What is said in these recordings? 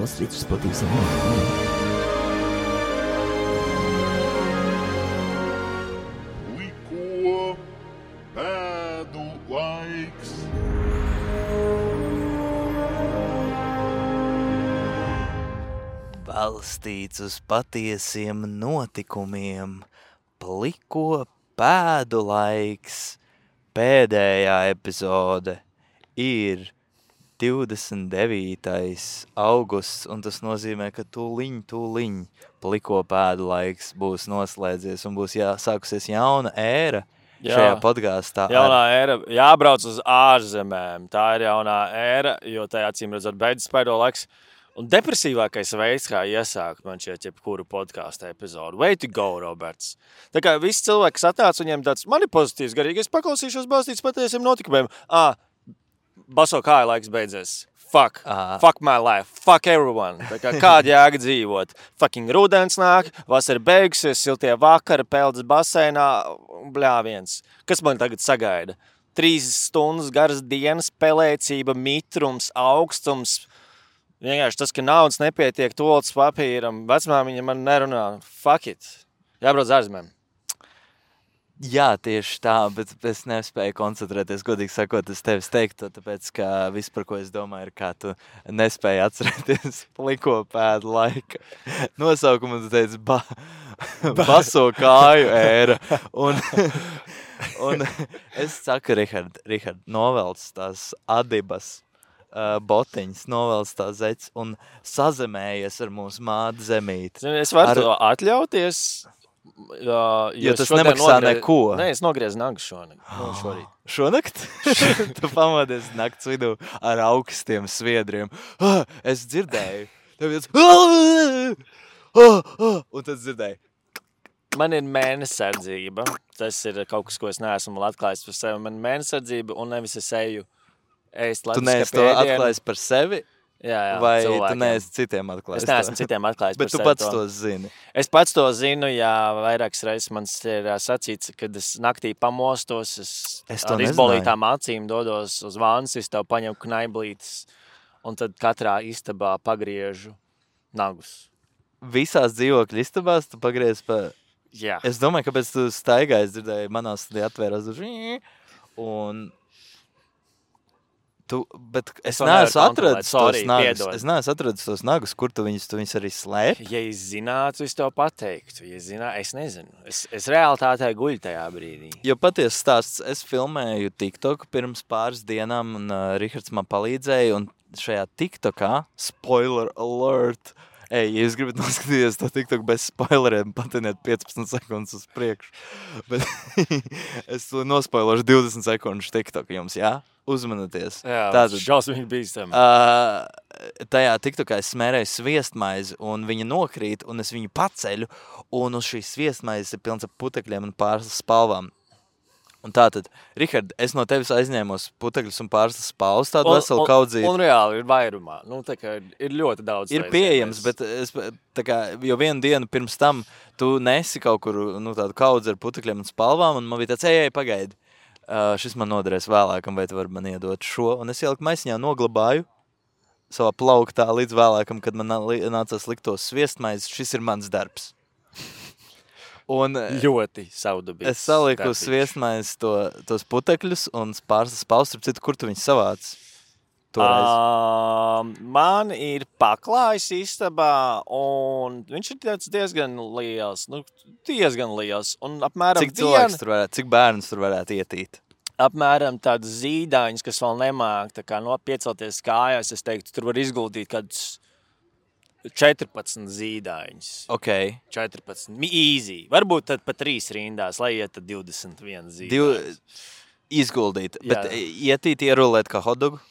balstīts uz patiesam notikumiem. Pliko pēdu laiks. Balstīts uz patiesiem notikumiem, pliko pēdu laiks. Pēdējā epizode ir 29. augusts, un tas nozīmē, ka tūliņ pliko pēdu laiks būs noslēdzies un būs sākusies jauna ēra šajā podkāstā. Jaunā ēra, jābrauc uz ārzemēm. Tā ir jaunā ēra, jo tajā acīm redzot beidzas pēdējā laiks. Un depresīvākais veids, kā iesākt man šeit jebkuru podkāstu epizodu. Way to go, Roberts. Tā kā visi cilvēki, kas atnāc, viņiem tāds, man ir pozitīvs garīgi, es paklausīšos balstīts patiesiem notikumiem. Baso kāja laiks beidzies. Fuck my life. Fuck everyone. Tā kā kāda jēga dzīvot. Fucking rudens nāk, vasara beigusies, siltie vakari, peldas baseinā, bļāviens. Kas man tagad sagaida? 3 stundas garas dienas, pelēcība, mitrums, augstums. Vienkārši tas, ka naudas nepietiek toaletes papīram, vecmāmiņa man nerunā. Fuck it. Jābrauc ārzemēm. Jā, tieši tā, bet es nespēju koncentrēties, godīgi sakot, es tevis teiktu, tāpēc, ka viss, par ko es domāju, ir, kā tu nespēji atcerēties pliko pēdu laika nosaukumu, tu teici baso kāju ēra. Un es saku, Rihard, novelc tās adibas botiņas, novelc tā zeķis un sazemējies ar mūsu māti zemīti. Es varu to atļauties, jo tas nemaksā neko. Nē, es nogriezu nagu šorīt. Šonakt? Tu pamodies nakts vidū ar augstiem sviedriem. Es dzirdēju. Un tad dzirdēju. Man ir mēnesardzība. Tas ir kaut kas, ko es neesmu vēl atklājis par sevi. Man ir mēnesardzība un nevis es eju ēst tu neesi to atklājis par sevi? Jā, vai cilvēkiem. Tu neesi citiem atklājis? Es neesmu citiem atklājis bet par tu sevi pats to zini? Es pats to zinu, jā, vairākas reizes man ir sacīts, kad es naktī pamostos, es ar izbolītām acīm dodos uz vānas istabu, paņemu knaiblītes un tad katrā istabā pagriežu nagus. Visās dzīvokļu istabās tu pagriez pa... Jā. Es domāju, kāpēc tu staigāji, es dzirdēju, manā studijā atvērās un... Bet es neesmu atradis tos nagus. Es neesmu atradis tos nagus, kur tu viņus arī slēpi. Ja es zinātu, es tev pateiktu. Ja es nezinu. Es realitātē guļu tajā brīdī. Jo patiesi stāsts, es filmēju TikToku pirms pāris dienām, un Rihards man palīdzēja, un šajā TikTokā, spoiler alert, ja jūs gribat noskatīties to TikToku bez spoileriem, patiniet 15 sekundes uz priekšu. Bet es nospoilošu 20 sekundes TikToku jums, jā? Uzmanieties. Jā, šausmīgi bīstam. Tajā TikTokā es smērēju sviestmaizi, un viņa nokrīt, un es viņu paceļu, un uz šīs sviestmaizes ir pilns ar putekļiem un pārslas spalvām. Un tātad, Rihard, es no tevis aizņēmos putekļus un pārslas spalvas, tādu veselu kaudzīti. Un reāli ir vairumā. Tā kā ir ļoti daudz. Ir pieejams, bet tā kā, jo vienu dienu pirms tam tu nesi kaut kur tādu kaudzi ar putekļiem un spalvām, un man bija tāds, ej, pagaidi. Šis man noderēs vēlākam, vai tu vari man iedot šo. Un es ieliku maisiņā, noglabāju savā plauktā līdz vēlākam, kad man nācās likt tos sviestmaizes. Šis ir mans darbs. Un ļoti saudabīgs. Es saliku uz sviestmaizes tos putekļus un pārslas spalvas, citu, kur tu viņus savāc? Man ir paklājs istabā, un viņš ir diezgan liels. Un apmēram cik bērns tur varētu ietīt? Apmēram tādus zīdaiņus, kas vēl nemāk, tā kā piecelties kājās, es teiktu, tur var izguldīt kādus 14 zīdaiņus. Ok. 14. Easy. Varbūt tad pa 3 rindās, lai iet tad 21 zīdaiņus. Izguldīt. Bet ietīt, ierulēt kā hotdogu?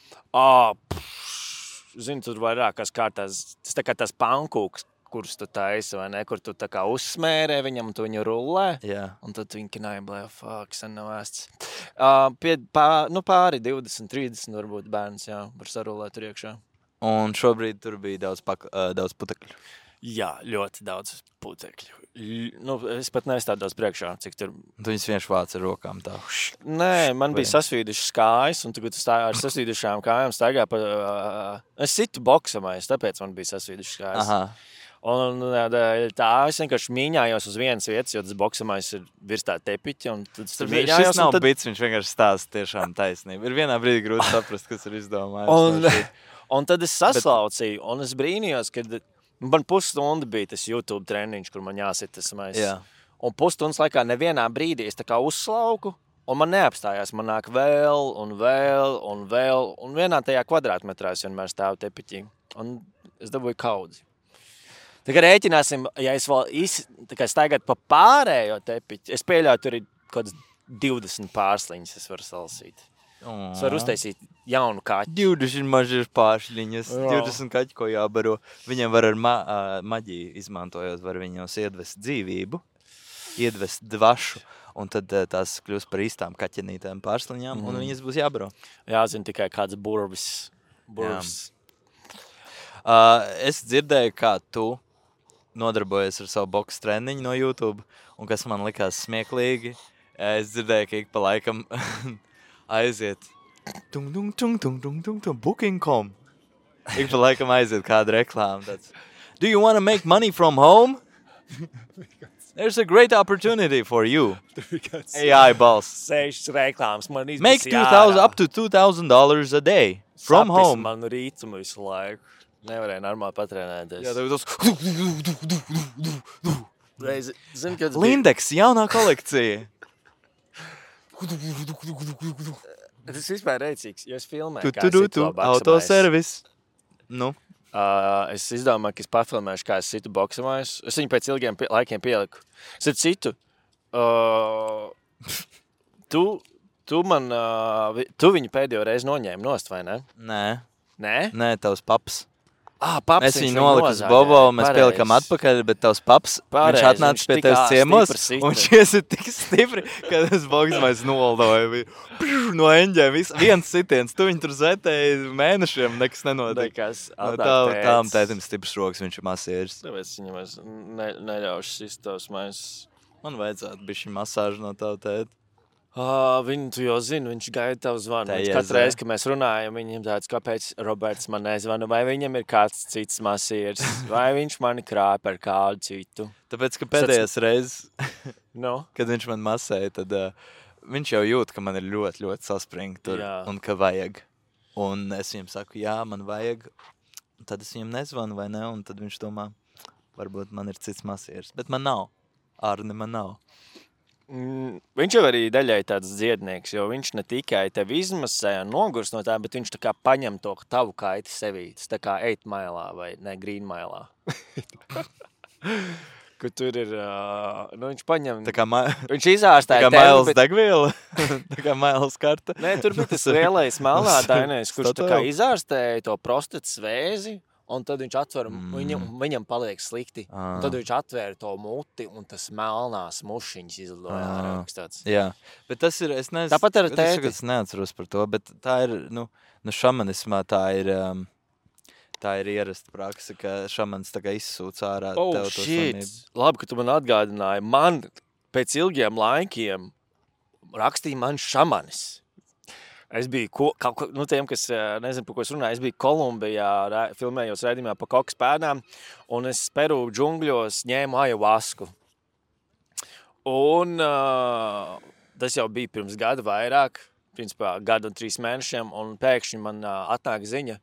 Zinu, tur vairākās kārtās, tas tā kā tās pankūks, kurus tu taisi, vai ne, kur tu tā kā uzsmērē viņam, tu viņu rullē, un tad viņi knaiblē, sen nav ēsts. Pāri 20, 30 varbūt bērns, var sarulēt tur iekšā. Un šobrīd tur bija daudz putekļu. Jā, ļoti daudz putekļu. Es pat nestādos priekšā, cik tur... Tu viņus vienkārši vāc ar rokām tā. Nē, man bija sasvīdušas kājas, un tagad ar sasvīdušām kājām staigā pa... Es situ boksamais, tāpēc man bija sasvīdušas kājas. Aha. Un tā es vienkārši mīņājos uz vienas vietas, jo tas boksamais ir virs tā tepiķa, un tad es tur mīņājos. Šis nav bits, viņš vienkārši stāsta tiešām taisnību. Ir vienā brīdī grūti saprast, kas ir izdomājis. Un tad es saslaucīju, un es brīnījos, kad man pusstunda bija tas YouTube treniņš, kur man jāsit tas mais. Jā. Un pusstundas laikā nevienā brīdī es tā kā uzslauku, un man neapstājās. Man nāk vēl, un vienā tajā kvadrātmetrā es vienmēr stāvu tepiķī. Un es dabūju kaudzi. Tā kā rēķināsim, ja es vēl staigāt pa pārējo tepiķi, es pieļauju, tur ir kaut kāds 20 pārsliņas, es varu salasīt. Es varu uztaisīt jaunu kaķi. 20 mažas pāršļiņas, 20 kaķi, ko jābaro. Viņiem var ar maģiju izmantojot, var viņos iedvest dzīvību, iedvest dvašu, un tad tās kļūst par īstām kaķenītēm pārsliņām, un viņas būs jābaro. Jāzina tikai kāds burvis. Es dzirdēju, kā tu nodarbojies ar savu boks treniņu no YouTube, un kas man likās smieklīgi, es dzirdēju, ka ik pa laikam aiziet booking.com. Ik pa laikam aiziet kāda reklāma. Tāds, do you want to make money from home? There's a great opportunity for you. AI balss. 6 reklāmas man izbis Make up to $2,000 a day from home. Man rītumu visu laiku. Nevarēja normāli patrenēties. Jā, tev Zini, kad Lindex, jaunā kolekcija. Tas vispār rēcīgs, jo es filmēju, kā es situ boksamais. Autoservis. Nu. Es izdomāju, ka es pafilmēšu, kā es situ boksamais. Es viņu pēc ilgiem laikiem pieliku. Es citu. Tu viņu pēdējo reizi noņēmi nost, vai ne? Nē. Nē? Nē, tavs paps. Paps, mēs viņu noliku uz Bobo, mēs pielikam atpakaļ, bet tavs paps, viņš atnāca pie tevis ciemos, un viņš iesit tik stipri, ka tas boksmais noldoja. No eņģēm, viens sitiens, tu viņu tur zetēji mēnešiem, nekas nenotiek. Tām tētim stiprs rokas, viņš ir masieris. Tāpēc viņam es neļaušu sist tavs mais. Man vajadzētu bišķi masāžu no tavu tēti. Viņu tu jau zini, viņš gaida tavu zvanu. Katru reizi, kad mēs runājam, viņam tāds, kāpēc Roberts man nezvana, vai viņam ir kāds cits masieris, vai viņš mani krāja par kādu citu. Tāpēc, ka pēdējās reizes, kad viņš man masēja, tad viņš jau jūt, ka man ir ļoti, ļoti saspringi tur, un ka vajag. Un es viņam saku, jā, man vajag, un tad es viņam nezvanu, vai ne, un tad viņš domā, varbūt man ir cits masieris, bet man nav. Arni man nav. Viņš jau arī daļai tāds dziednieks, jo viņš ne tikai tevi izmasē un nogurs no tā, bet viņš tā kā paņem to tavu kaiti sevī. Tas tā kā 8 mailā vai ne, green mailā. Kur tur ir, viņš paņem, viņš izārstēja tevi. Tā kā mailes degviela, tā kā mailes karta. Nē, tur bija tas lielais melnādainais, kurš tā kā izārstēja to prostatas vēzi. Un tad viņš atver, viņam paliek slikti. Un tad viņš atvēra to muti, un tas melnās mušiņas izlidoja ārākstāts. Jā, bet tas ir, es nezinu, tāpat ar tēti. Es neatceros par to, bet tā ir, šamanismā tā ir ierasta praksa, ka šamans tā kā izsūc ārā tev to slimību. Labi, ka tu man atgādināji. Man pēc ilgiem laikiem rakstīja man šamanis. Es biju, tiem, kas nezinu, par ko es runāju, es biju Kolumbijā, filmējos raidījumā pa kokas pēdām, un es Peru džungļos ņēmu ajavasku. Un tas jau bija pirms gada vairāk, principā gadu un 3 mēnešiem, un pēkšņi man atnāk ziņa,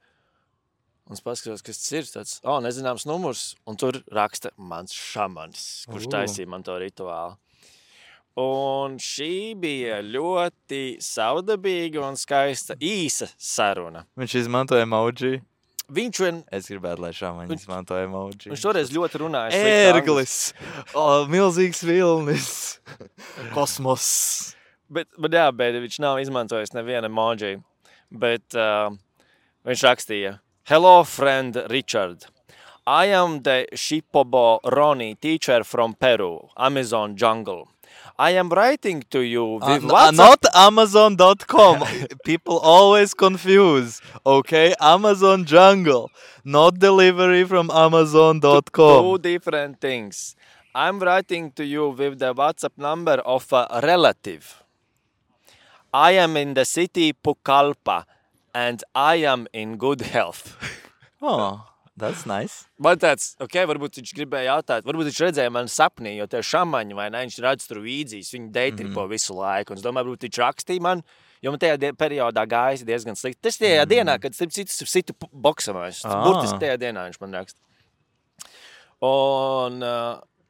un es paskatos, kas tas ir, tāds, nezināms numurs, un tur raksta mans šamanis, kurš taisīja man to rituālu. Un šī bija ļoti savdabīga un skaista īsa saruna. Viņš izmantoja emoji. Es gribētu, lai šāmaņi izmantoja emoji. Viņš toreiz ļoti runāja. Ērglis, milzīgs vilnis, kosmos. Bet viņš nav izmantojis nevienu emoji. Bet viņš rakstīja, hello friend Richard. I am the Shipobo Ronnie teacher from Peru, Amazon jungle. I am writing to you with Not Amazon.com. People always confuse. Okay, Amazon Jungle, not delivery from Amazon.com. Two different things. I'm writing to you with the WhatsApp number of a relative. I am in the city Pucallpa and I am in good health. Oh, that's nice. Man tāds, varbūt viņš gribēja jautāt, varbūt viņš redzēja mani sapnī, jo tie šamaņi, vai ne, viņš redz tur vīdzīs, viņi deitripo visu laiku. Un es domāju, varbūt viņš rakstīja man, jo man tajā periodā gājis diezgan slikti. Tas tajā dienā, kad starp citu situ boksavājus. Burtiski tajā dienā viņš man raksta.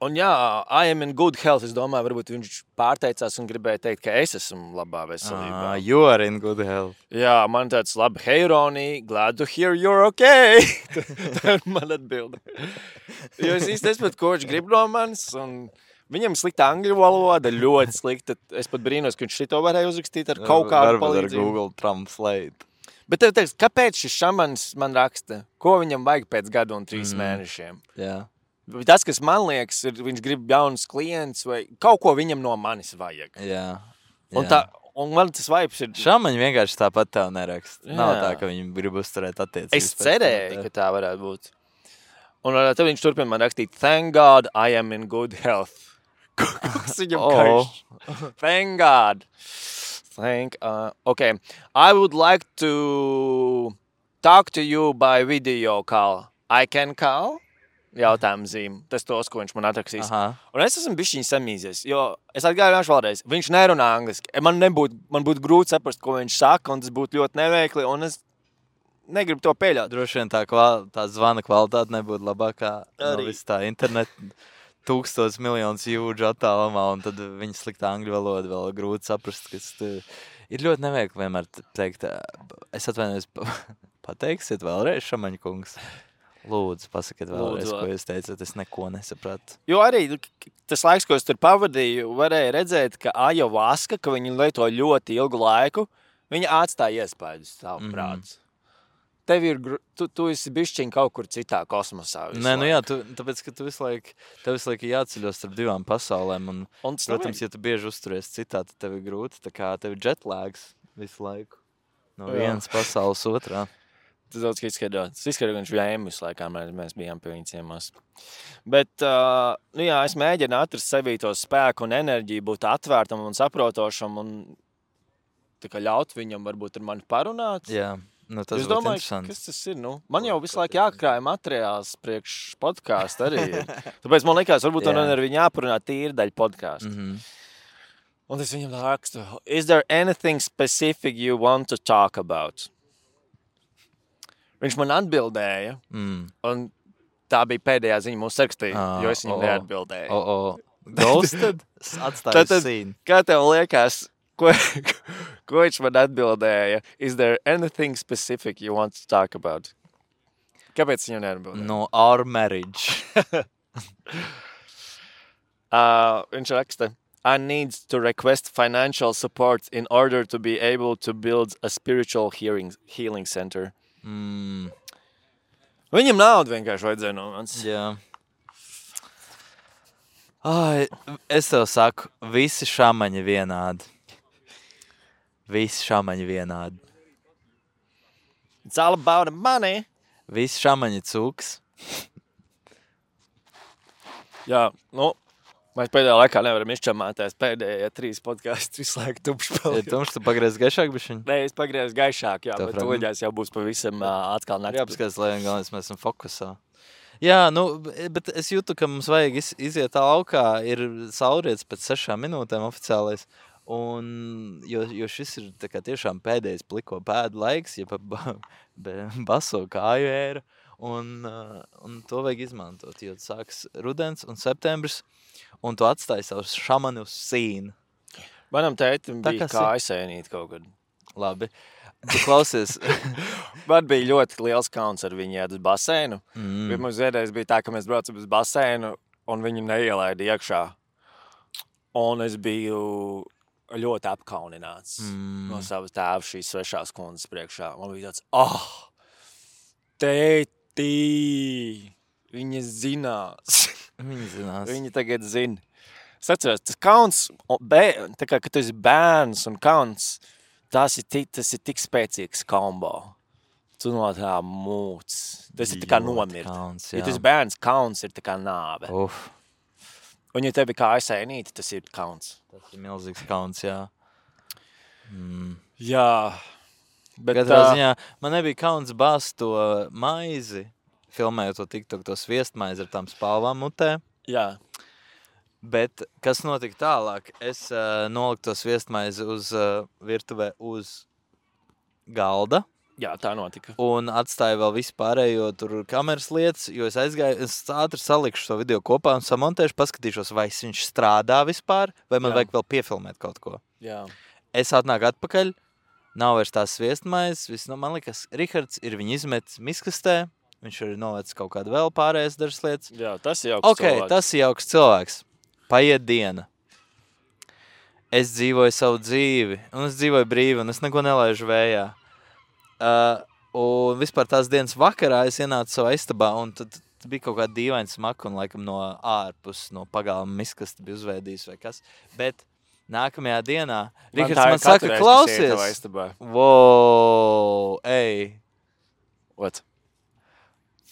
Un jā, I am in good health. Es domāju, varbūt viņš pārteicās un gribēja teikt, ka es esmu labā veselībā. You are in good health. Jā, man tāds labi, hey Ronnie, glad to hear you're okay. Tā ir man atbilde. Jo es īsti esmu, ko viņš grib no manis, un viņam slikta angļu valoda, ļoti slikta. Es pat brīnos, ka viņš šito varēja uzrakstīt ar kaut kādu palīdzību. Varbūt ar Google Translate. Bet tev teiks, kāpēc šis šamans man raksta? Ko viņam vajag pēc gadu un 3 mēnešiem? Jā. Tas, kas man liekas, ir, viņš grib jaunus klientus vai kaut ko viņam no manis vajag. Jā. Un man tas vibes ir... Šamaņi vienkārši tāpat tev neraksta. Nav tā, ka viņi grib uzturēt attiecības. Es cerēju, ka tā varētu būt. Un tad viņš turpina man rakstīt, thank God I am in good health. Kas viņam karš? Thank God. Okay. I would like to talk to you by video call. I can call? Jautājumu zīme. Tas tos, ko viņš man atrakstīs. Un es esmu bišķiņ samīzies, jo es atgādināšu vēlreiz, viņš nerunā angliski. Man būtu grūti saprast, ko viņš saka, un tas būtu ļoti neveikli, un es negribu to pieļaut. Droši vien tā zvana kvalitāte nebūtu labākā no visu tā internetu 1,000 miljonus jūdžu attālumā, un tad viņa sliktā angļu valoda vēl grūti saprast, kas ir ļoti neveikli vienmēr teikt. Es atvainojos, pateiksiet vēlreiz, Šamaņa kungs? Lūdzu, pasakiet vēlreiz, ko jūs teicat, es neko nesapratu. Jo arī tas laiks, ko es tur pavadīju, varēja redzēt, ka Ayahuasca, ka viņi lieto ļoti ilgu laiku, viņa atstāja iespējas savu prāts. Tev ir, tu esi bišķiņ kaut kur citā kosmosā. Nē, nu jā, tāpēc, ka tev visu laiku jāceļos starp 2 pasaulēm, un protams, ja tu bieži uzturies citā, tad tev ir grūti, tā kā tev ir jetlags visu laiku no vienas pasaules otrā. Tas daudz, ka izskaidrot. Tas izskaidrot, ka viņš bija ēmus laikā, mēs bijām pie viņa ciemos. Bet, jā, es mēģinu atrast sevī to spēku un enerģiju, būt atvērtam un saprotošam un tā kā ļaut viņam varbūt ar mani parunāt. Jā, nu tas būtu interesanti. Kas tas ir, nu? Man jau visu laiku jākrāja materiāls priekš podcastu arī. Tāpēc man likās, varbūt man ar viņu jāparunāt tīri daļa podcastu. Un es viņam rakstu, is there anything specific you want to talk about? Viņš man atbildēja, un tā bija pēdējā ziņa mūsu sarakstī, jo es viņam neatbildēju. Ghosted? Atstāju scene. Kā tev liekas, ko viņš man atbildēja? Is there anything specific you want to talk about? Kāpēc viņam neatbildēja? No our marriage. Viņš raksta, I need to request financial support in order to be able to build a spiritual healing center. Viņam naudu vienkārši vajadzēja no manis. Jā. Es tev saku, visi šamaņi vienādi. Visi šamaņi vienādi. It's all about the money. Visi šamaņi cūks. Jā, nu, mēs pēdējā laikā nevaram izčamāties. Pēdējie 3 podcasts visu laiku tumšs paliek. Ja tumšs, tu pagriez gaišāk bišķiņ? Nē, es pagriezu gaišāk, jā, bet tuļģās jau būs pavisam atkal nakts. Jā, paskatās, lai galvenais mēs esam fokusā. Jā, nu, bet es jūtu, ka mums vajag iziet laukā, ir saulrietis pēc 6 minūtēm oficiālais, un, jo šis ir tā kā tiešām pēdējais pliko pēdu laiks, ja pa baso kāju ēra, un to vajag izmantot, jo sāks rudens un septembris, un tu atstāji savu šamani uz sīnu. Manam tētim bija kājasēnīt kaut kad. Labi. Tu klausies. Man bija ļoti liels kauns ar viņu iet uz baseinu. Mums vienreiz bija tā, ka mēs braucam uz baseinu, un viņu neielaida iekšā. Un es biju ļoti apkaunināts no savas tēva šīs svešās kundzes priekšā. Man bija tāds, tētī, viņa zinās. Viņa zinās. Viņa tagad zina. Es atceros, tas kauns, tā kā, kad tu esi bērns un kauns, tas ir tik spēcīgs kombo. Tu no tā mūc. Tas ir tā kā nomirt. Kauns, ja tu esi bērns, kauns ir tā kā nāve. Un ja tev ir kā aizsēnīti, tas ir kauns. Tas ir milzīgs kauns, jā. Jā. Bet Katrā ziņā man nebija kauns bāzt to maizi, filmējot to TikTok, to sviestmaizi ar tām spalvām mutē. Jā. Bet kas notika tālāk? Es noliku to sviestmaizi uz virtuvē uz galda. Jā, tā notika. Un atstāju vēl vispārējo tur kameras lietas, jo es aizgāju, es ātri salikšu šo video kopā un samontēšu, paskatīšos, vai viņš strādā vispār, vai man vajag vēl piefilmēt kaut ko. Jā. Es atnāku atpakaļ, nav vairs tās sviestmaizes, man liekas, Rihards ir viņu izmetis miskastē, viņš ir novecis kaut kādu vēl pārējais dažas lietas. Jā, tas ir jauks cilvēks. Tas ir jauks cilvēks. Paiet diena. Es dzīvoju savu dzīvi, un es dzīvoju brīvi, un es neko nelaižu vējā. Un vispār tās dienas vakarā es ienācu savā istabā, un tad bija kaut kāda dīvaina smaka, un laikam no ārpus, no pagalma miskasta bija uzveidījis vai kas. Bet nākamajā dienā Rihards man saka, klausies. Wow, ej. What?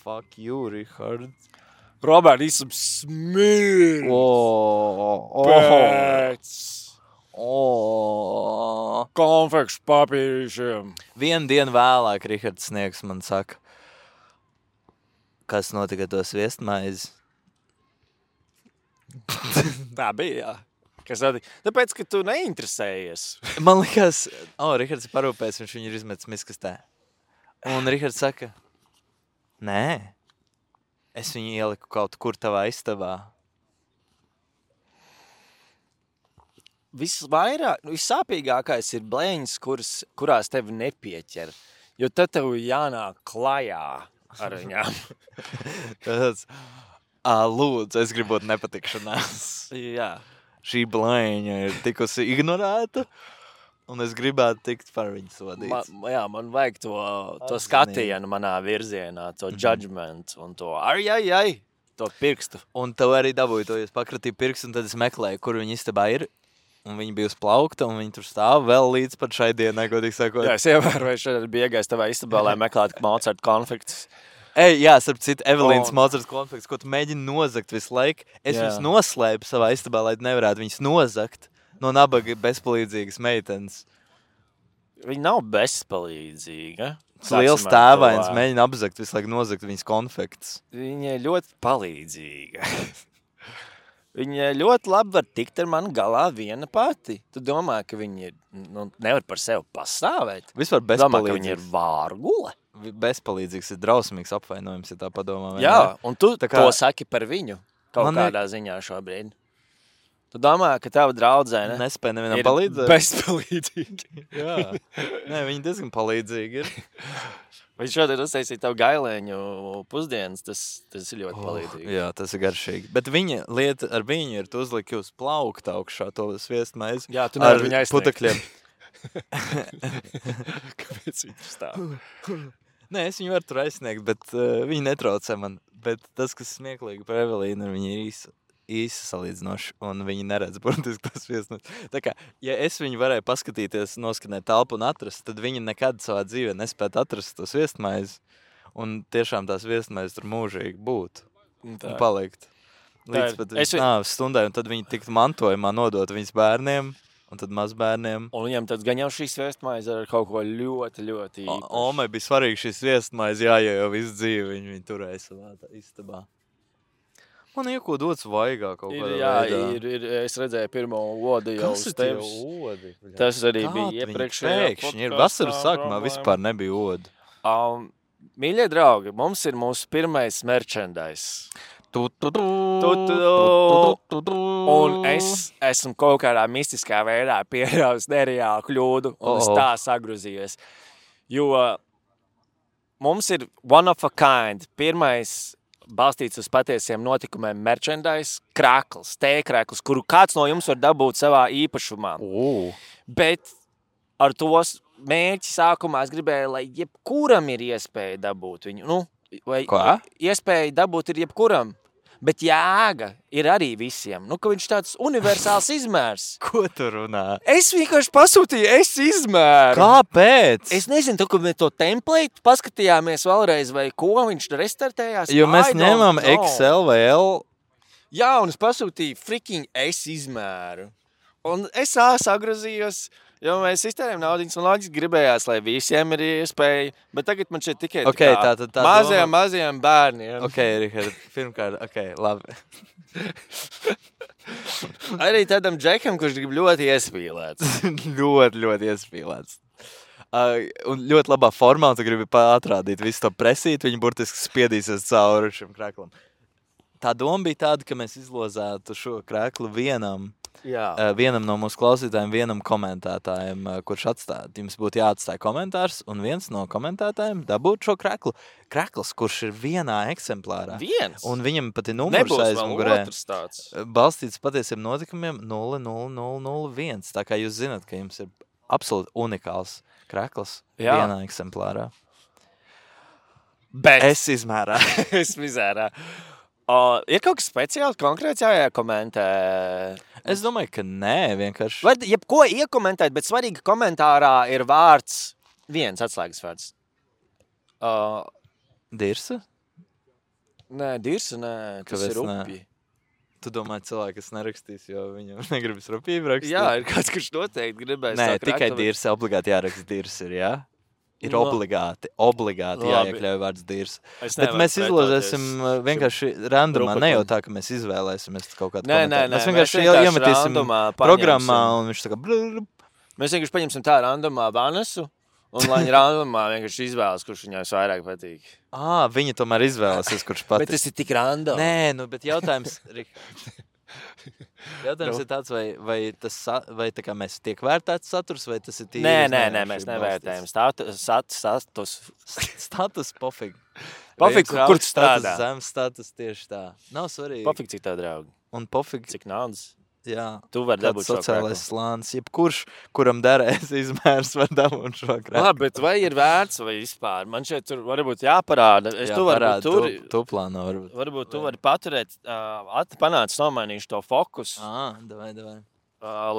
Fuck you, Richard. Robert, esam smirds. Pēc konfekšu papīrišiem. Vienu dienu vēlāk Rihards Sniegs man saka, kas notika to sviestmaizi. Tā bija, jā. Kas notika? Tāpēc, ka tu neinteresējies. Man likās, Rihards ir parūpējis, viņš viņu ir izmetis miskastē. Un Rihards saka, nē. Es viņu ieliku kaut kur tavā istabā. Vissāpīgākais ir blēņas, kurās tevi nepieķer. Jo tad tev jānāk klajā ar viņām. Tāds, lūdzu, es gribot nepatikšanās. Jā. Šī blēņa ir tikusi ignorēta. Un es gribētu tikt par viņu sodīts. Man vajag to skatienu manā virzienā, to judgment un to to pirkstu. Un tev arī dabūju to, es pakratīju pirkstu, un tad es meklēju, kur viņa istabā ir. Un viņa bija uz plaukta, un viņa tur stāv vēl līdz pat šai dienai, godīgi sakot. Jā, es ievēroju, šodien bija iegājis tavā istabā, lai meklētu Mozart konfektus. Starp citu, Evelīnas Mozart konfektus, ko tu mēģini nozagt visu laiku. Es viņus noslēpu savā istabā, lai nevarētu viņus nozagt. No nabaga bezpalīdzīgas meitenes. Viņa nav bezpalīdzīga. Liels tēvains mēģina apzakt, visu laiku nozagt viņas konfektus. Viņa ir ļoti palīdzīga. Viņa ļoti labi var tikt ar mani galā viena pati. Tu domā, ka viņa nevar par sevi pastāvēt? Vispār bezpalīdzīgs. Domā, ka viņa ir vārgule? Bezpalīdzīgs ir drausmīgs apvainojums, ja tā padomā. Jā, un tu to saki par viņu kaut kādā ziņā šobrīd. Tu domā, ka tava draudzene nespēja nevienam palīdzēt? Bezpalīdzīgi. Jā. Nē, viņi diezgan palīdzīgi ir. Viņš šodien uztaisīja tavu gailēņu pusdienas, tas ir ļoti palīdzīgi. Jā, tas ir garšīgi. Bet viņa lieta ar viņu ir, tu uzliki uz plaukta augšā to sviestmaizi. Jā, tu nevar viņu aizsniegt. Putekļiem. Kāpēc viņš stāv? Nē, es viņu varu tur aizsniegt, bet viņi netraucē man. Bet tas, kas smieklīgi par Evelīnu, viņa ir īsi salīdzinoši, un viņi neredz burtiski tas sviestmaizi. Tā kā, ja es viņu varēju paskatīties, noskanēt telpu un atrast, tad viņi nekad savā dzīvē nespētu atrast to sviestmaizi, un tiešām tās sviestmaizes tur mūžīgi būtu un palikt. Līdz pat viņas nāves stundai, un tad viņi tiktu mantojumā nodot viņas bērniem, un tad mazbērniem. Un viņam tad gan jau šī sviestmaize ar kaut ko ļoti, ļoti īpaši. Omai bija svarīgi šī sviestmaize, jo visu dzīvi viņi turēja savā istabā. Man ieko dots vaigā kaut kādā veidā. Es redzēju pirmo odi jau uz tevis. Kas ir odi? Tas arī bija iepriekšējā pēkšņi ir vasaras sākumā vispār nebija odi. Mīļie draugi, mums ir mūsu pirmais merchandise. Un es esmu kaut kādā mistiskā veidā pieļaus nereālu kļūdu un es tā sagruzījos. Jo mums ir one of a kind, pirmais balstīts uz patiesiem notikumiem merchandise, krākls, tēkrākls, kuru kāds no jums var dabūt savā īpašumā. Bet ar tos mērķi sākumā es gribēju, lai jebkuram ir iespēja dabūt viņu. Vai iespēja dabūt ir jebkuram. Bet jēga ir arī visiem. Nu, ka viņš tāds universāls izmērs. Ko tu runā? Es vienkārši pasūtīju izmēru. Kāpēc? Es nezinu, tu, kad mēs to template paskatījāmies vēlreiz, vai ko viņš restartējās. Jo mēs I don't ņemam know. XL vai L. Jā, un es pasūtīju freaking izmēru. Un es sagrozījos, jo mēs iztērējam naudiņas, un loģiski gribējās, lai visiem ir iespēja, bet tagad man šeit tikai Okay, tā mazajiem bērniem. Ok, Rihard, pirmkārt, ok, labi. Arī tādam džekam, kurš grib ļoti iespīlēts. ļoti iespīlēts. Un ļoti labā formā, tu gribi atrādīt visu to presīti, viņi burtiski spiedīsies cauri šim kreklam. Tā doma bija tāda, ka mēs izlozētu šo kreklu vienam no mūsu klausītājiem, vienam komentētājiem, kurš atstāja. Jums būtu jāatstāja komentārs, un viens no komentētājiem dabūt šo kreklu. Krekls, kurš ir vienā eksemplārā. Viens? Un viņam pat ir numurs aizmugurē. Nebūs vēl otrs tāds. Balstīts patiesiem notikumiem 00001. Tā kā jūs zināt, ka jums ir absolūti unikāls krekls vienā eksemplārā. Bet Es izmērā. es mizērā. Ir kaut kas speciāls, konkrēts jākomentē? Es domāju, ka nē, vienkārši. Vai jebko iekomentēt, bet svarīgi komentārā ir vārds, viens atslēgas vārds. Dirsa? Nē, dirsa, nē, tas Kāpēc ir nē? rupi. Tu domā, cilvēki, kas nerakstīs, jo viņam negribas rupību rakstīt? Jā, ir kāds, kurš noteikti gribēs. Nē, tā tikai krakla, dirsa, obligāti jāraksta dirsa ir, jā? Ir No. obligāti Labi. jāiekļauj vārds dirsa. Es Bet nevaru mēs izlozēsim pretoties vienkārši randomā, ne jau rupatam. tā, ka mēs izvēlēsimies kaut kādu Nē, komentāru. nē, Mēs mēs vienkārši vienkārši iemetīsim randomā programmā, paņemsim. un viņš tā kā blub. Mēs vienkārši paņemsim tā randomā Vanesu, un lai viņa randomā vienkārši izvēlas, kurš viņai vairāk patīk. Viņa tomēr izvēlēsies, kurš Bet patīk. tas ir tik random. Nē, bet jautājums, jautājums ir tāds, vai tā kā mēs tiek vērtēts saturs, vai tas ir tīri? Nē, mēs nevērtējam. Status. Status pofīgi. Pofīgi, Vai jums ir kur augsts tu strādā? status, zems status tieši tā. Nav svarīgi. Pofīgi, cik tā draugi. Un pofīgi, Cik naudas. jā. Tu vari Kāds dabūt šo sociālais kreklu. slānis, jebkurš, kuram derēs izmērs, var dabūt šo kreklu. Labi, bet vai ir vērts vai vispār? Man šeit tur varbūt jāparāda. Es tu varbūt tur... Tu plāno varbūt. Varbūt tu vari paturēt, panāc nomainīšu to fokusu, Davai.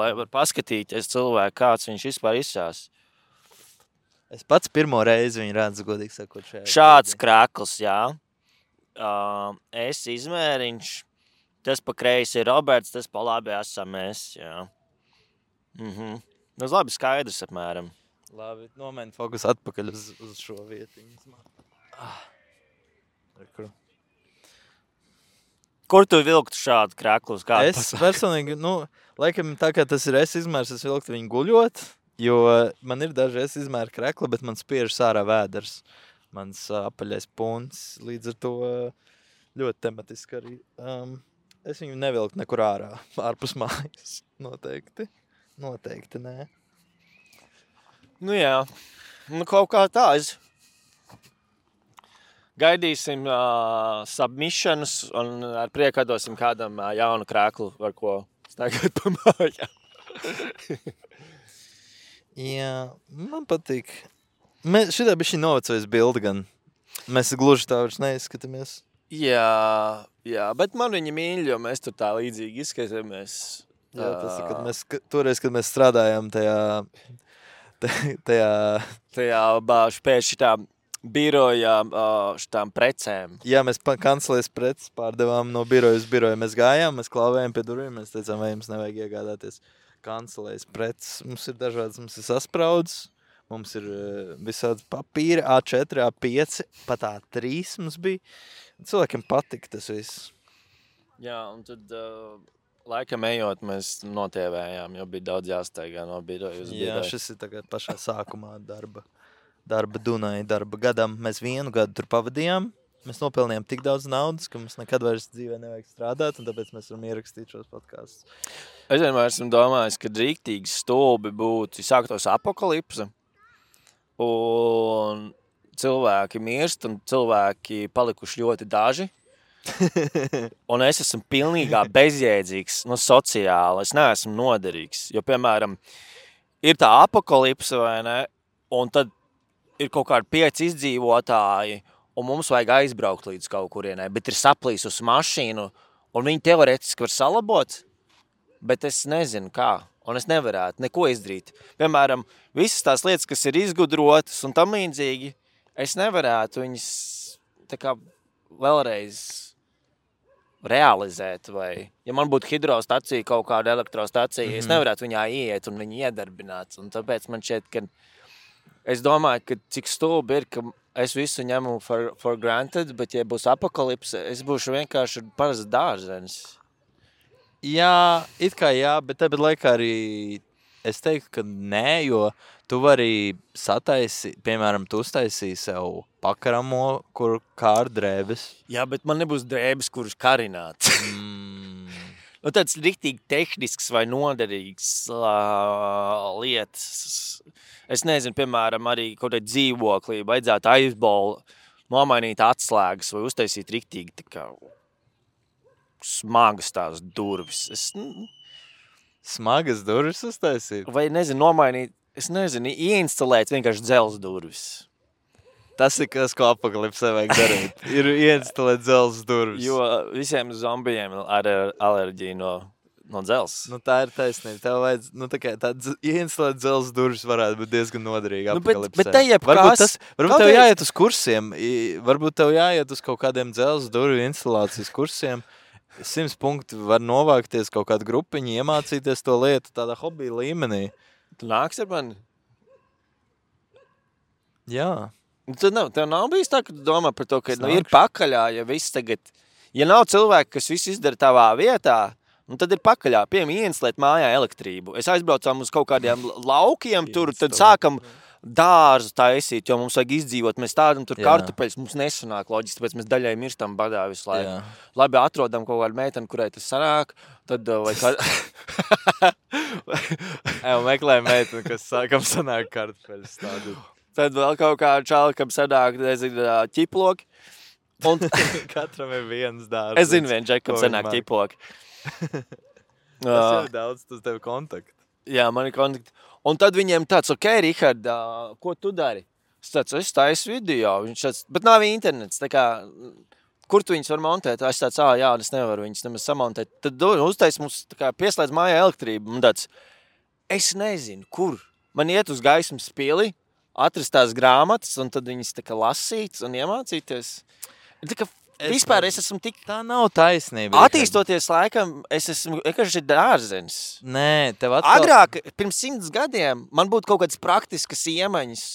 lai var paskatīties cilvēku, kāds viņš vispār izsās. Es pats pirmo reizi viņu redzu, godīgi sakot, šajā. Šāds krekls, jā. Es izmēriņš. Tas pa kreisi ir Roberts, tas pa labi esam mēs, jā. Nu, labi skaidrs apmēram. Labi, nomaini fokusu atpakaļ uz šo vietiņu. Kur tu vilktu šādu kreklu uz kādu? Es personīgi, laikam tā kā tas ir izmērs, es vilktu viņu guļot, jo man ir daži izmēra krekli, bet man spiež sārā vēders. Mans apaļais punts, līdz ar to ļoti tematiski arī. Es viņu nevilktu nekur ārpus mājas. Noteikti nē. Nu jā, kaut kā tā. Gaidīsim submissionus un ar prieku dosim kādam jaunu kreklu, ar ko staigāt pa mājām. Jā, man patīk. Šitā bija šī novecojas bilde gan. Mēs gluži tā vairs neizskatāmies. Jā, bet man viņa mīļ, jo mēs tur tā līdzīgi izskatāmies. Jā, tas ir, toreiz, kad mēs strādājām tajā pēc šitām birojām, šitām precēm. Jā, mēs kancelēs preces pārdevām no biroja uz biroju. Mēs gājām, mēs klauvējām pie durvīm, mēs teicām, vai jums nevajag iegādāties kancelēs preces. Mums ir dažādas, mums ir saspraudzes, mums ir visādi papīri, A4, A5, pat A3 mums bija. Cilvēkiem patika tas viss. Jā, un tad laikam ejot, mēs notievējām, jo bija daudz jāsteigā no biroja uz biroju. Jā, šis ir tagad pašā sākumā darba Dunai, darba gadam. Mēs 1 gadu tur pavadījām. Mēs nopelnījām tik daudz naudas, ka mums nekad vairs dzīvē nevajag strādāt, un tāpēc mēs varam ierakstīt šos podkastus. Es vienmēr esmu domājis, ka rīktīgi stulbi būtu sāktos apokalipse, un cilvēki mirst, un cilvēki palikuši ļoti daži. Un es esmu pilnīgā bezjēdzīgs, sociāli. Es neesmu noderīgs. Jo, piemēram, ir tā apokalipse, vai ne? Un tad ir kaut kādi 5 izdzīvotāji, un mums vajag aizbraukt līdz kaut kurienai, bet ir saplīsusi mašīnu, un viņi teorētiski var salabot, bet es nezinu kā, un es nevarētu neko izdarīt. Piemēram, visas tās lietas, kas ir izgudrotas un tam līdzīgi, es nevarētu viņas tā kā vēlreiz realizēt, vai, ja man būtu hidrostacija, kaut kāda elektrostacija, es nevarētu viņā ieiet un viņu iedarbināt, un tāpēc man šķiet, ka es domāju, ka cik stulbi ir, ka es visu ņemu for granted, bet ja būs apokalipse, es būšu vienkārši parasts dārzenis. Jā, it kā jā, bet tāpat laikā arī es teiktu, ka nē, jo tu vari piemēram, tu uztaisīji sev pakaramo, kur kā ar drēbes. Jā, bet man nebūs drēbes, kuras karināts. Nu, tāds riktīgi tehnisks vai noderīgs lietas. Es nezinu, piemēram, arī kaut kādā dzīvoklī vajadzētu aizbolu, nomainīt atslēgas vai uztaisīt riktīgi tā kā smagas tās durvis. Smagas durvis uztaisīt? Vai, nezinu, nomainīt, ieinstalēt vienkārši dzels durvis. Tas ir kas, ko apokalipsē vajag darīt. Ir ieinstalēt dzels durvis. Jo visiem zombijiem ar alerģiju no dzels. Nu, tā ir taisnība. Tev vajadz, ieinstalēt dzels durvis varētu būt diezgan noderīgi apokalipsē. Bet te varbūt tev jāiet uz kursiem. Varbūt tev jāiet uz kaut kādiem dzels durvju instalācijas kursiem. 100 punkti var novākties kaut kādu grupiņu, iemācīties to lietu tādā hobija līmenī. Tu nāks ar mani? Jā. Tev nav bijis tā, ka tu domā par to, ka ir pakaļā, ja viss tagad... Ja nav cilvēki, kas viss izdara tavā vietā, tad ir pakaļā. Piemēram, ieinstalēt mājā elektrību. Es aizbraucām uz kaut kādiem laukiem tur, tad sākam dārzu taisīt, jo mums vajag izdzīvot. Mēs tādam tur kartupeļus, mums nesanāk loģiski, tāpēc mēs daļai mirstam badā visu laiku. Jā. Labi, atrodam kaut kādu meiteni, kurai tas sanāk, tad vai meklē meiteni, kam sanāk kartupeļus tādu. Tad vēl kaut kādu čāli, kam sanāk, nezinu, ķiploki. Un... Katram ir viens dārsts. Es zinu vien, Džek, kam sanāk ķiploki. Tas jau daudz, tas tev kontakti. Jā, man ir kontakti. Un tad viņiem tāds, ok, Rihard, ko tu dari? Es taisu video, viņš tāds, bet nav internets, tā kā, kur tu viņus var montēt? Es tāds, jā, es nevaru viņus nemaz samontēt. Tad uztais mums, tā kā, pieslēdz mājā elektrību. Un tāds, es nezinu, kur. Man iet uz gaismas pili, atrast tās grāmatas, un tad viņas tā kā lasīt un iemācīties. Tā kā vispār es esmu tik... Tā nav taisnība. Attīstoties laikam, es esmu vienkārši dārzenis. Nē, tev atkal... Agrāk, pirms 100 gadiem, man būtu kaut kādas praktiskas iemaņas,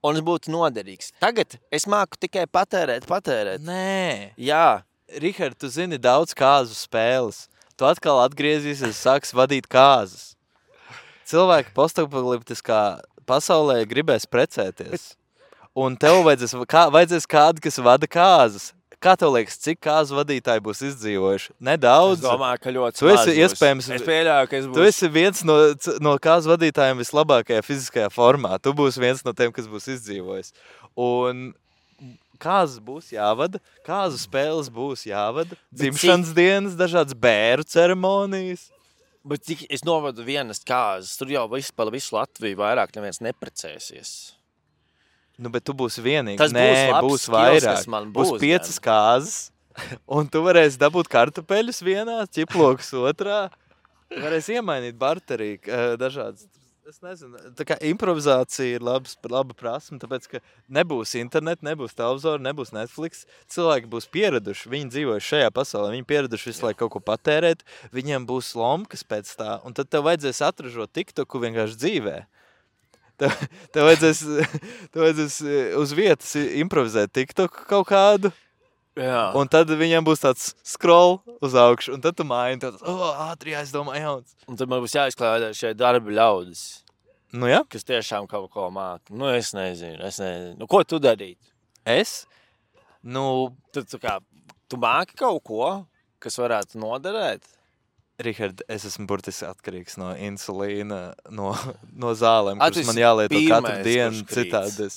un es būtu noderīgs. Tagad es māku tikai patērēt. Nē. Jā. Rihard, tu zini daudz kāzu spēles. Tu atkal atgriezīsies, sāks vadīt kāzas. Cilvēki postapokaliptiskā pasaulē gribēs precēties. Un tev vajadzēs kādu, kas vada kāzas. Kā tev liekas, cik kāzu vadītāji būs izdzīvojuši? Nedaudz. Es domāju, ka ļoti tu esi iespējams. Es pieļauju, ka es būšu. Tu esi viens no kāzu vadītājiem vislabākajā fiziskajā formā. Tu būsi viens no tiem, kas būs izdzīvojis. Un kāzas būs jāvada, kāzu spēles būs jāvada, dzimšanas dienas, dažādas bēru ceremonijas. Bet cik es novadu vienas kāzas, tur jau pa visu Latviju vairāk neviens neprecēsies. Nu, bet tu būsi vienīgs. Tas būs vairāk. Būs 5 kāzas, un tu varēsi dabūt kartupeļus vienā, ķiplokus otrā. Tu varēsi iemainīt barterī dažādas. Es nezinu, tā kā improvizācija ir laba prasme, tāpēc, ka nebūs internet, nebūs televizora, nebūs Netflix. Cilvēki būs pieraduši, viņi dzīvojuši šajā pasaulē, viņi pieraduši visu laiku kaut ko patērēt, viņiem būs lomkas pēc tā, un tad tev vajadzēs atražot TikToku vienkārši dzīvē. Tev vajadzēs uz vietas improvizēt TikToku kaut kādu, jā. Un tad viņiem būs tāds scroll uz augšu, un tad tu maini, tad ātri jāizdomā jauns. Un tad man būs jāizklādā šie darbi ļaudis. Nu jā. Kas tiešām kaut ko māca. Nu es nezinu. Nu ko tu darīt? Es? Nu... Tu māki kaut ko, kas varētu noderēt? Rihard, es esmu burtiski atkarīgs no insulīna, no zālēm, kuras man jālieto katru dienu, citādi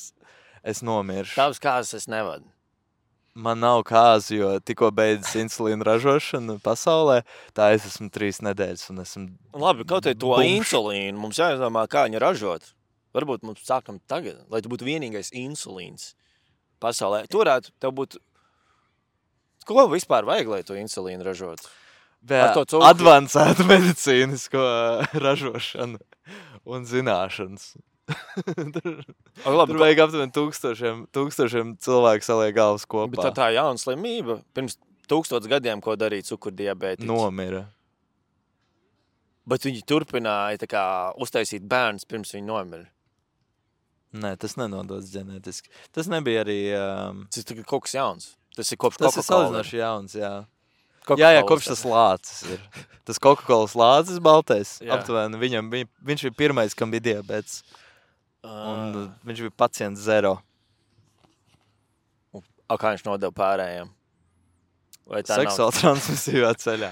es nomiršu. Tavas kāzas es nevadu. Man nav kāzu, jo tikko beidzas insulīna ražošana pasaulē, tā es esmu 3 nedēļas un esmu... Labi, kaut vai to insulīnu, mums jāizdomā, kā viņu ražot. Varbūt mums sākam tagad, lai tu būtu vienīgais insulīns. pasaulē. Tu varētu, tev būtu... Ko vispār vajag, lai tu insulīnu ražotu? Ar to cukuru? Advancētu medicīnisko ražošanu un zināšanas. Tur vajag aptuveni tūkstošiem cilvēku saliek galvas kopā. Bet tā jauna slimība. Pirms 1000 gadiem, ko darīja cukurdiabētiķi. Nomira. Bet viņi turpināja tā kā uztaisīt bērnus, pirms viņi nomira. Nē, tas nenodots ģenētiski. Tas nebija arī... Tas ir kaut kas jauns. Tas ir kopš Tas ir salīdzinoši jauns, jā. Jā, kopš tas lācis ir. Tas Coca-Colas lācis baltais. Aptuveni viņš bija pirmais, kam bija diabēts. Un viņš bija pacients 0. Kā viņš nodeva pārējiem? Seksuāli transmisīvā ceļā.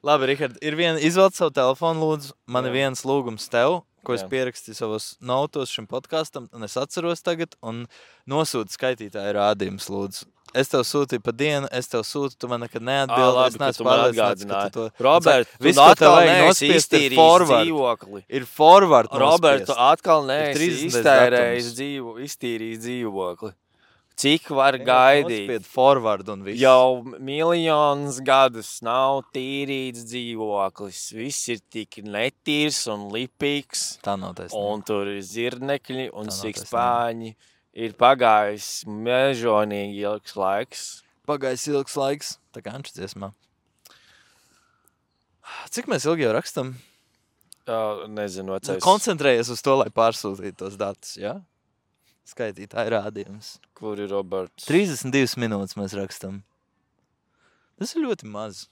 Labi, Rihard, izvēlēt savu telefonu, lūdzu. Man ir viens lūgums tev, ko es pierakstīju savos notos šim podkastam, un es atceros tagad, un nosūtu skaitītāju rādījumus, lūdzu. Es tev sūtīju pa dienu, es tev sūtu, tu man nekad neatbildi. Labi, ka tu man atgādināji. Robert, tu atkal neesi iztīrījis dzīvokli. Ir forward nospiest. Robert, tu atkal neesi iztīrījis dzīvokli. Cik var gaidīt? Forward un viss. Jau miljonus gadus nav tīrīts dzīvoklis. Viss ir tik netīrs un lipīgs. Tā nav taisnība. Un tur ir zirnekļi un sikspāņi. Ir pagājis mežonīgi ilgs laiks. Pagājis ilgs laiks, tā kā Anča dziesmā. Cik mēs ilgi jau rakstam? Nezinu, vecais. Koncentrējies uz to, lai pārsūtītu tos datus, jā? Skaitītāji rādījums. Kur ir Roberts? 32 minūtes mēs rakstam. Tas ir ļoti maz.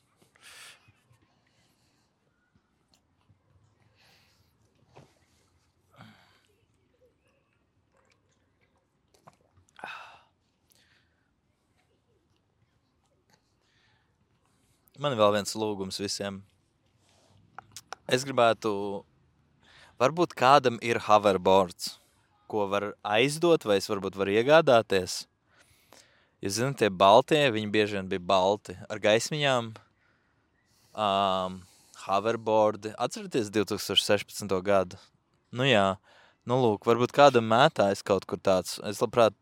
Man ir vēl viens lūgums visiem. Es gribētu... Varbūt kādam ir hoverboards, ko var aizdot, vai es varbūt varu iegādāties. Jūs zināt, tie baltie, viņi bieži vien bija balti. Ar gaismiņām. Hoverboardi. Atcerieties 2016. gadu? Nu jā. Nu lūk, varbūt kādam mētājas kaut kur tāds. Es labprāt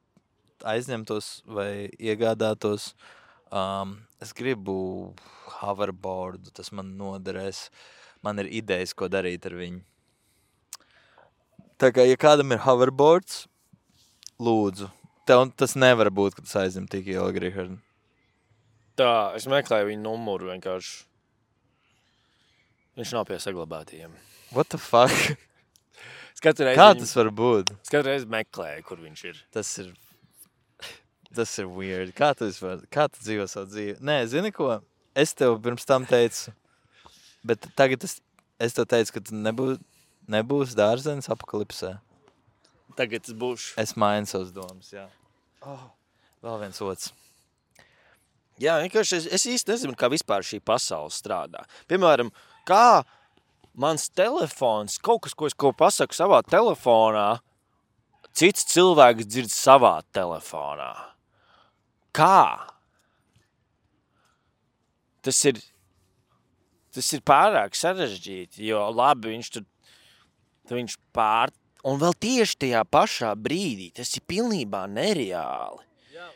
aizņemtos vai iegādātos. Es gribu hoverboardu, tas man noderēs. Man ir idejas, ko darīt ar viņu. Tā kā, ja kādam ir hoverboards, lūdzu. Tev tas nevar būt, ka tas aizņem tik ilgi, Richard. Tā, es meklēju viņu numuru vienkārši. Viņš nav pie saglabātījiem. What the fuck? Kā tas var būt? Es katru reizi meklēju, kur viņš ir. Tas ir weird. Kā tu dzīvo savu dzīvi? Nē, zini ko? Es tev pirms tam teicu, bet tagad es tev teicu, ka tu nebūs dārzenis apokalipsē. Tagad es būšu. Es mainu savas domas, jā. Vēl viens otrs. Jā, vienkārši es īsti nezinu, kā vispār šī pasaule strādā. Piemēram, kā mans telefons, kaut kas, ko pasaku savā telefonā, cits cilvēks dzird savā telefonā. Kā? Tas ir pārāk sarežģīti, jo labi, viņš un vēl tieši tajā pašā brīdī, tas ir pilnībā nereāli. Jā,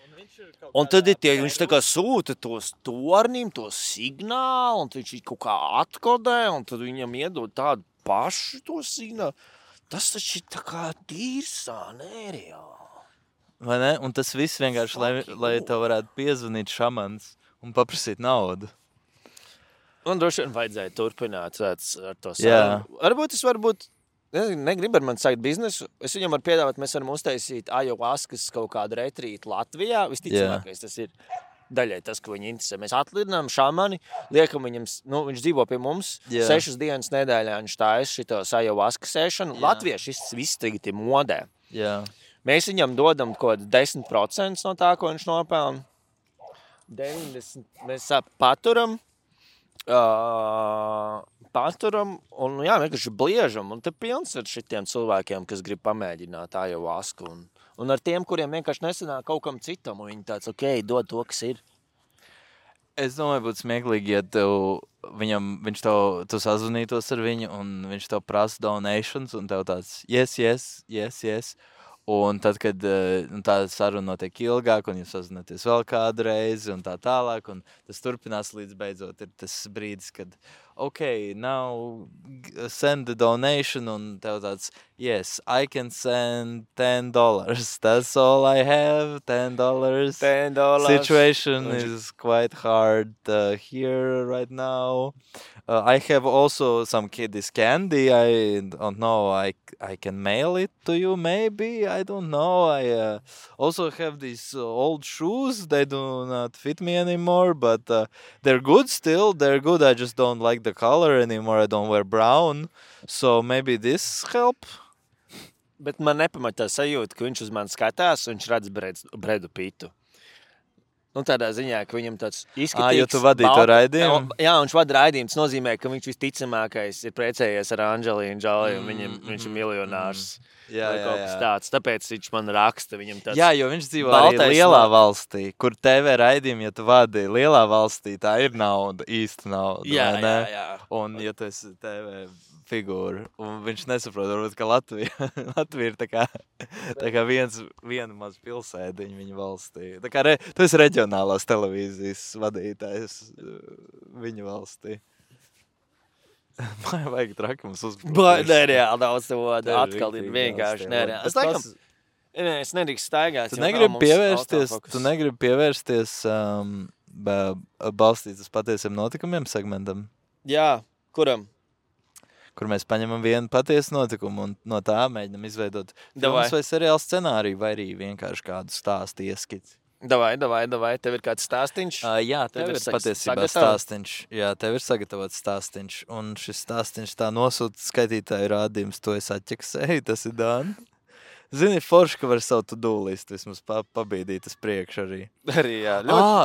un tad viņš tā kā sūta tos tornim, tos signālu, un viņš kaut kā atkodē, un tad viņam iedod tādu pašu to signālu. Tas taču ir tā kā tīrsā, nereāli. Vai ne? Un tas viss vienkārši, lai tev varētu piezvanīt šamans un paprasīt naudu. Man droši vien vajadzēja turpināt ar to savu. Varbūt negribu ar mani sākt biznesu. Es viņam varu piedāvāt, mēs varam uztaisīt ayahuaskas kaut kādu retrītu Latvijā. Visticamākais tas ir daļai tas, ko viņi interesē. Mēs atlidinām šamani, liekam viņam, viņš dzīvo pie mums, 6 dienas nedēļā viņš tājas šitos ayahuaskas ēšanu. Latvieši viss tagad ir modē. Jā. Mēs viņam dodam kaut 10% no tā, ko viņš nopelna. 90% mēs paturam un vienkārši bliežam. Un te pilns ar šitiem cilvēkiem, kas grib pamēģināt ayahuasku. Un ar tiem, kuriem vienkārši nesanāk kaut kam citam. Un viņi tāds, dod to, kas ir. Es domāju, būtu smieklīgi, ja tu sazvanītos ar viņu un viņš tev prasa donations un tev tāds yes. Un tad, kad tā saruna notiek ilgāk, un jūs sazināties vēl kādu reizi, un tā tālāk, un tas turpinās līdz beidzot ir tas brīdis, kad, okay, now send the donation, un tev tāds, yes, I can send $10. That's all I have, $10. $10. Situation is quite hard here right now. I have also some kiddies candy. I don't know. I can mail it to you, maybe. I don't know. I also have these old shoes. They do not fit me anymore, but they're good still. They're good. I just don't like the color anymore. I don't wear brown. So maybe this help? Bet man nepamatā sajūta, ka viņš uz mani skatās un viņš redz Bredu Pitu. Nu, tādā ziņā, ka viņam tāds izskatīgs... Jo tu vadīji to raidījumu? Jā, viņš vada raidījumu. Tas nozīmē, ka viņš visticamākais ir precējies ar Anģelīnu Džoli, un viņš ir miljonārs. Jā. Tāds. Tāpēc viņš man raksta. Viņam tāds... Jā, jo viņš dzīvo arī lielā valstī, kur TV raidījumi, ja tu vadi lielā valstī, tā ir nauda, īsta nauda. Jā. Un ja tu esi TV figūra, un viņš nesaprot, varbūt, ka Latvija ir tā kā viena maz pilsētiņa viņa valstī. Tā kā tu esi reģionālās televīzijas vadītājs viņa valstī. Vajag traki mums uzbraukt. Nereāli daudz to vada. Atkal ir vienkārši nereāli. Es nedrīkst staigāt. Tu negribi pievērsties balstīt uz patiesiem notikumiem segmentam? Jā, kuram? Kur mēs paņemam vienu patiesu notikumu un no tā mēģinam izveidot filmas vai seriālu scenāriju, vai arī vienkārši kādu stāstu ieskici. Davai. Tev ir kāds stāstiņš? Jā, tev ir patiesībā stāstiņš. Jā, tev ir sagatavots stāstiņš. Un šis stāstiņš tā nosūta skaitītāju rādījums, to es atķeksēju, tas ir Dāna. Zini, forši, ka var savu to-do listu vismaz pabīdīt uz priekšu arī. Arī, jā.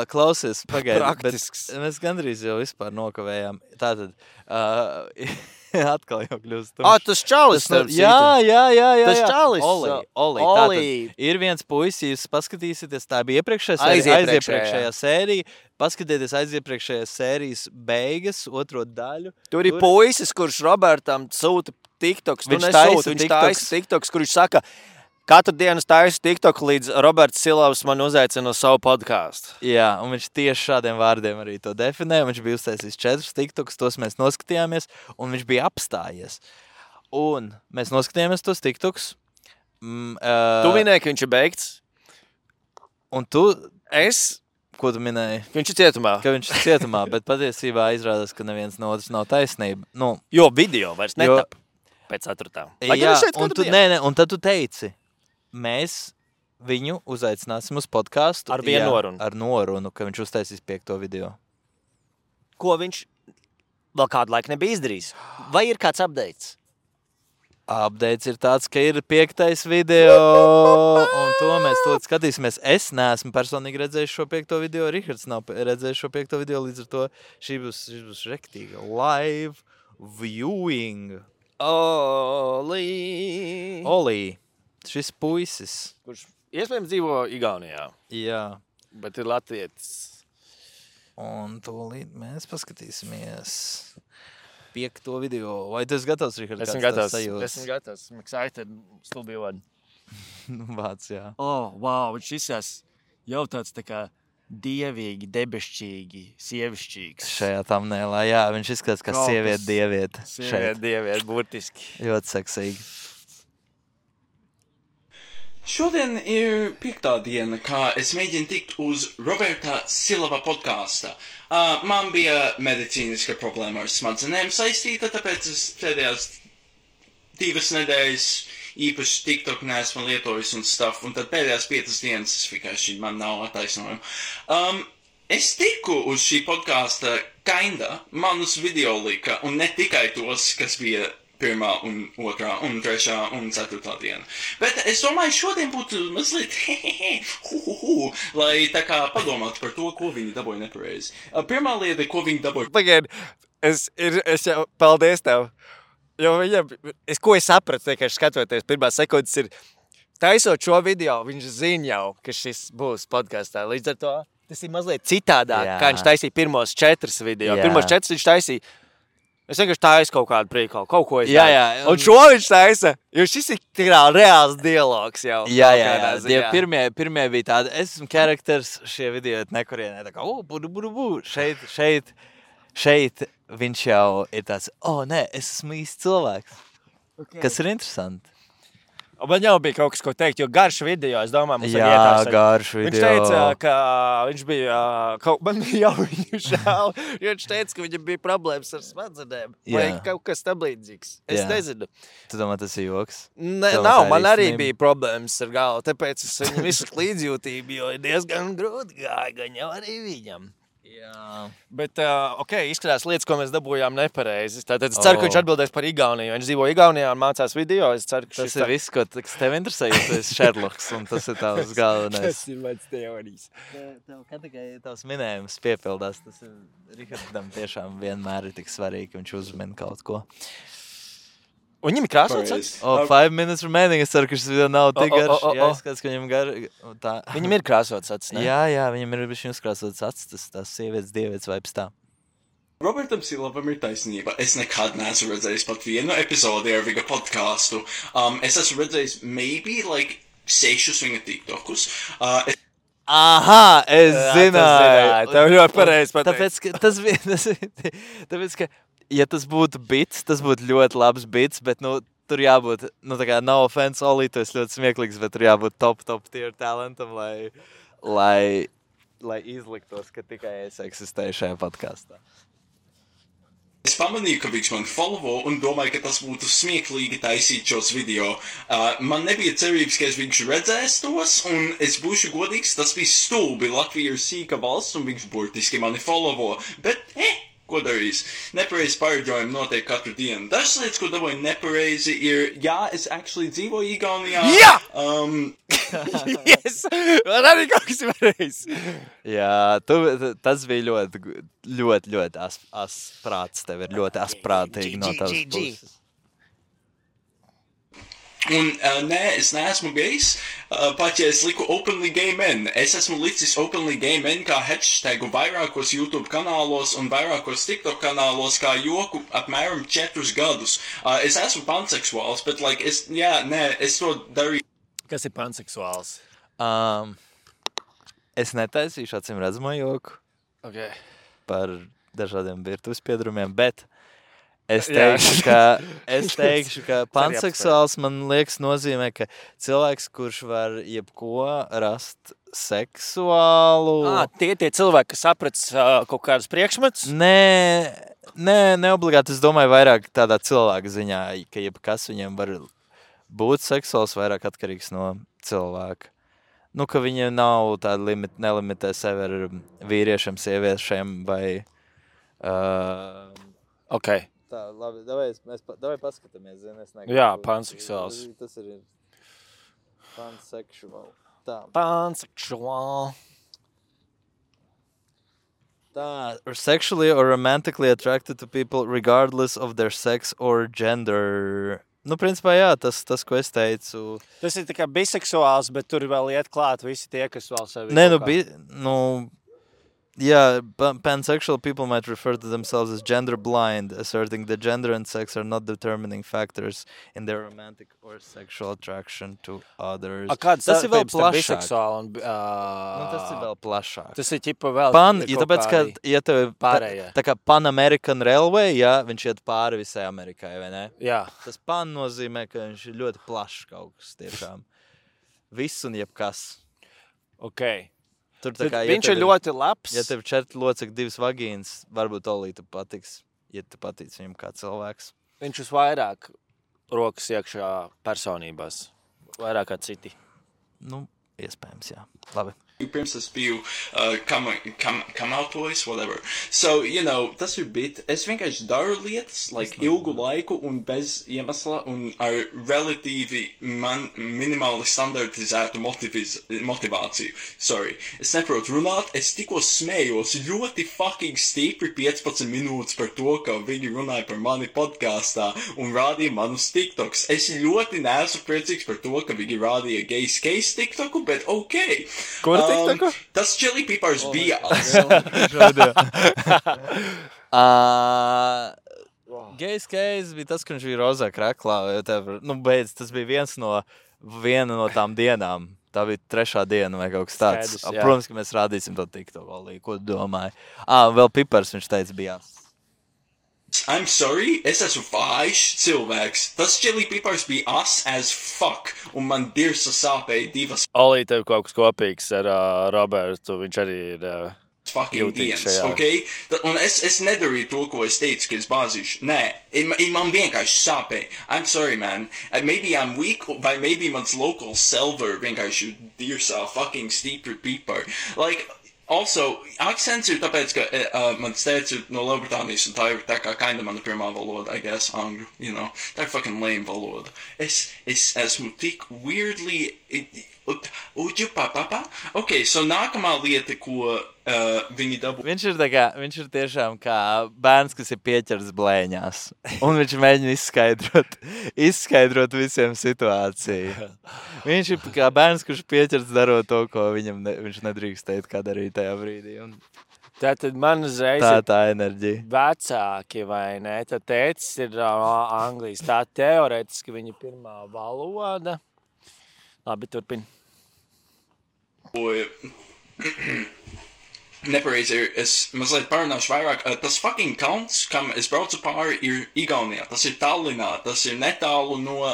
Klausies, pagaidi. Praktisks. Bet mēs gandrīz jau vispār nokavējām. Tātad, atkal jau kļūst. Tas čalis. Jā. Tas čalis. Oli. Tātad ir viens puisis, jūs paskatīsieties, tā bija aiziepriekšējā sērija. Paskatieties aiziepriekšējās sērijas beigas, otro daļu. Tur ir puisis, kurš Robertam sūta TikToks. Viņš taisa TikToks, kur viņš saka, katru dienu taisa TikTok, līdz Roberts Silavs man uzaicina uz savu podkāstu. Jā, un viņš tieši šādiem vārdiem arī to definē. Viņš bija uztaisījis 4 TikToks, tos mēs noskatījāmies, un viņš bija apstājies. Un mēs noskatījāmies tos TikToks. Tu minēji, ka viņš ir beigts? Un tu... Ko tu minēji? Ka viņš ir cietumā. Ka viņš ir cietumā, bet patiesībā izrādās, ka neviens no otrs nav taisnība. Jo video vairs netap pēc 4. Jā, un tad tu teici, mēs viņu uzaicināsim uz podcastu. Ar vienu norunu. Ar norunu, ka viņš uztaisīs 5. video. Ko viņš vēl kādu laiku nebija izdarījis? Vai ir kāds updates? Updates ir tāds, ka ir 5. video, un to mēs to skatīsimies. Es neesmu personīgi redzējis šo 5. video, Rihards nav redzējis šo 5. video, līdz ar to šī būs rektīga live viewing. Oli, šis puisis. Kurš iespējams dzīvo Igaunijā. Jā. Bet ir latvietis. Un tūlīt mēs paskatīsimies 5. video. Vai tu esi gatavs, Richard? Esmu gatavs. I'm excited. Still be one. Vāc, jā. Wow. Viņš izsās jau tāds tā kā dievīgi, debešķīgi, sievišķīgs. Šajā thumbnailā, jā. Viņš izskatās kā sieviete dieviete. Sieviete dieviete, burtiski. Ļoti seksīgi. Šodien ir 5. diena, kā es mēģinu tikt uz Roberta Silava podkāsta. Man bija medicīniska problēma ar smadzenēm saistīta, tāpēc es pēdējās 2 nedēļas īpaši TikTok neesmu lietojis un stuff, un tad pēdējās 5 dienas es vienkārši man nav attaisnojumu. Es tiku uz šī podkāsta manus video lika, un ne tikai tos, kas bija 1., 2. un 3. un 4. diena. Bet es domāju, šodien būtu mazliet lai tā kā padomātu par to, ko viņi dabūja nepareizi. Pirmā lieta, ko viņi dabūja... Pagaid, es jau paldies tev. Jo viņam, ko es sapratu, vienkārši skatoties, pirmā sekundes ir, taisot šo video, viņš zina jau, ka šis būs podkastā. Līdz ar to tas ir mazliet citādāk, kā viņš taisīja pirmos 4 video. Jā. Pirmos 4 viņš taisīja Es vienkārši taisu kaut kādu prīkalu, kaut ko es Jā, daru. jā, Un šo viņš taisa, jo šis ir tikai reāls dialogs jau. Jā, kaut jā, kādā jā. ziņā. Pirmie bija tādi, es esmu karakters, šie video ir nekurienē, tā kā, šeit viņš jau ir tāds, nē, es esmu īsts cilvēks, kas ir interesanti. Un man jau bija kaut kas, ko teikt, jo garš video, es domāju, mums Jā, garš video. Viņš teica, ka viņš bija, man bija jau viņu žēl, jo viņš teica, ka viņam bija problēmas ar smadzenēm. Vai Jā. kaut kas tam līdzīgs. Es Jā. nezinu. Tu domā, tas ir joks? Ne, Tev nav, tā ir man arī īstenība? bija problēmas ar galvu, tāpēc es viņam izsaku līdzjūtību, jo ir diezgan grūti gāja, gan jau arī viņam. Jā. Bet, izskatās lietas, ko mēs dabūjām nepareizi. Tātad es ceru, ka viņš atbildēs par Igauniju. Viņš dzīvo Igaunijā un mācās video. Es ceru, ka Tas ir viss, kas tev interesē, jo tu esi Sherlocks, un tas ir tavs galvenais. Tas ir mans teorijas. Tev kā tikai tavs minējums piepildās, tas ir Rihardam tiešām vienmēr ir tik svarīgi, ka viņš uzmina kaut ko. Un viņam ir krāsots acis? 5 minutes remaining, es ceru, ka šis video nav tik garš. Jā, es skats, ka viņam tā. Viņam ir krāsots acis, ne? Jā, viņam ir bišķi uzkrāsots acis, tās sievietes, dievietes vibes tā. Robertam Silavam ir taisnība. Es nekad neesmu redzējis pat vienu epizodi ar viņa podkāstu. Es esmu redzējis maybe like 6 viņa TikTokus. Aha, es zināju. Tev ļoti pareizi pateikt. Tāpēc, ka ja tas būtu bits, tas būtu ļoti labs bits, bet, tur jābūt, tā kā no offense, Oli, tu esi ļoti smieklīgs, bet tur jābūt top tier talentam, lai izliktos, ka tikai es eksistēju šajā podkāstā. Es pamanīju, ka viņš man followo un domāju, ka tas būtu smieklīgi taisīt šos video. Man nebija cerības, ka viņš redzēs tos, un es būšu godīgs, tas bija stulbi. Latvija ir sīka valsts, un viņš burtiski mani followo. Bet, ko darīs? Nepareizi pareģojumi notiek katru dienu. Dažas lietas, ko dabūju nepareizi, ir, jā, es actually dzīvoju Igaunijā. Jā! Yes! Man arī kaut kas ir pareizi. Jā, tas bija ļoti asprāts. Tev ir ļoti asprātīgi no tavas puses. Un nē, es neesmu gejs, pat ja es liku openly gay men. Es esmu licis openly gay men kā hashtagu vairākos YouTube kanālos un vairākos TikTok kanālos kā joku apmēram 4 gadus. Es esmu panseksuāls, bet es to darīju. Kas ir panseksuāls? Es netaisīšu acīm redzamo joku Okay. par dažādiem virtuves piedrumiem, bet es teikšu, ka panseksuāls man liekas nozīmē, ka cilvēks, kurš var jebko rast seksuālu. Tie cilvēki, kas saprats kaut kādus priekšmetus? Nē, obligāti. Es domāju vairāk tādā cilvēka ziņā, ka jebkas viņiem var būt seksuāls, vairāk atkarīgs no cilvēka. Ka viņi nav tādi nelimitē sevi ar vīriešiem, sieviešiem vai... Okay. Tā, labi, davai paskatāmies, Jā, panseksuāls. Tas ir pansexual. Tā. Panseksuāl. Tā, or sexually or romantically attracted to people regardless of their sex or gender. Principā, jā, tas, ko es teicu. Tas ir tikai biseksuāls, bet tur vēl iet klāt visi tie, kas vēl sevi... Yeah, pansexual people might refer to themselves as gender blind, asserting that gender and sex are not determining factors in their romantic or sexual attraction to others. Kāds tas ir vēl plašāk. Biseksuāli un... tas ir vēl plašāk. Tas ir ķipa vēl... Tāpēc, ka, ja tev tā kā Pan American Railway, jā, viņš iet pāri visai Amerikai, vai ne? Jā. Tas pan nozīmē, ka viņš ir ļoti plašs kaut kas tiešām. Viss un jebkas. Okay. Tur, kā, viņš ir ļoti labs. Ja tev 4 locekļi, 2 vagīnas, varbūt Olī tu patiks, ja tu patīc viņam kā cilvēks. Viņš uz vairāk rokas iekšā personībās. Vairāk kā citi. Iespējams, jā. Labi. Pirms es biju come out voice, whatever. So, tas ir bit. Es vienkārši daru lietas, ilgu laiku un bez iemesla un ar relatīvi minimāli standartizētu motivāciju. Sorry. Es neprotu runāt, es tikko smējos ļoti fucking stipri 15 minūtes par to, ka viņi runāja par mani podkāstā un rādīja manus TikToks. Es ļoti neesmu priecīgs par to, ka viņi rādīja gays case TikToku, bet okay. Tas Chili Peppers bija. Gejs Keis bija tas, ka viņš bija rozā kraklā. Beidz, tas bija viena no tām dienām. Tā bija 3. diena vai kaut kas tāds. Skaidrs, jā. Protams, ka mēs rādīsim to TikTok, Olī. Ko tu domāji? Vēl Pipars, viņš teica, bija jās. I'm sorry, es esmu vājš cilvēks. Tas chili pipars bija as fuck, un man dirsa sāpēja 2 Olī, tev kaut kas kopīgs ar Robertu. Viņš arī ir... fucking Jūtīgs dienas, šajā. ok? Un es nedarīju to, ko es teicu, ka es bāzīšu. Nē, man vienkārši sāpēja. I'm sorry, man. Maybe I'm weak, vai maybe mans local server vienkārši dirsā fucking stipri pipar. Like, also, akcents ir tāpēc, ka mans tēvs ir no Lielbritānijas, un tā ir tā kā kinda mana pirmā valoda, I guess, angļu, you know. Tā ir fucking lame valoda. Es esmu tik weirdly... Ok, so nākamā lieta, ko viņi dabū... Viņš ir tiešām kā bērns, kas ir pieķers blēņās. Un viņš mēģina izskaidrot visiem situāciju. Viņš ir kā bērns, kurš pieķers darot to, ko viņš nedrīkst teikt, kā darīt tajā brīdī. Un Tātad man uzreiz tā enerģija. vecāki, vai ne? Tad tētis ir Anglijas. Tā teorētiski viņa pirmā valoda. Labi, turpin. Nepareizi ir, es mazliet parunāšu vairāk. Tas fucking kalns, kam es braucu pāri, ir Igaunijā. Tas ir Tallinā, tas ir netālu no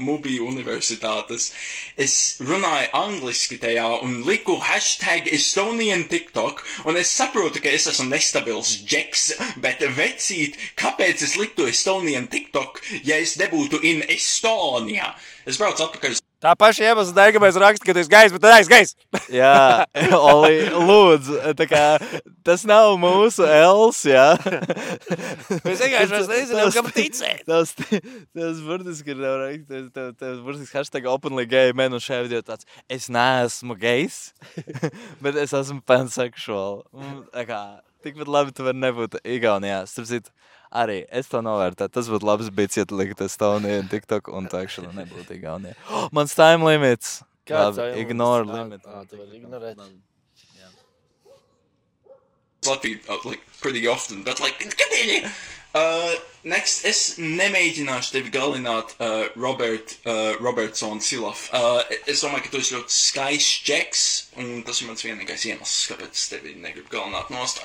Mubi universitātes. Es runāju angliski tajā un liku #Estonian TikTok, un es saprotu, ka es esmu nestabils džeks, bet vecīt, kāpēc es liktu Estonian TikTok, ja es nebūtu in Estonijā? Es braucu atpakaļ. Tā paša iemesla dēļ, ka mēs rakstām, ka tu esi gais, bet tu neesi gais. Jā, Oli, lūdzu, tā kā tas nav mūsu els, jā. Mēs vienkārši nezinām, kam ticēt. Tas burtiski ir tas burtiski #openly-gay man un šajā video tāds, es neesmu gejs, bet es esmu pansexual. Tā kā, tikpat labi tu vari nebūt Igaunijā. Starp citu, arī es to novērtēju. Tas būtu labs bijis, ja tu liktu Estoniju un TikTok un tā actually nebūtu Igaunijā. Mans time limits. Kāds Labi, time ignore limits? limit. Tu vari ignorēt. Latviju, like, pretty often, but like, continue! Next, es nemēģināšu tevi galināt, Robertson Silaf. Es domāju, ka tu esi ļoti skaists džeks, un tas ir mans vienīgais iemesls, kāpēc es tevi negribu galināt nost.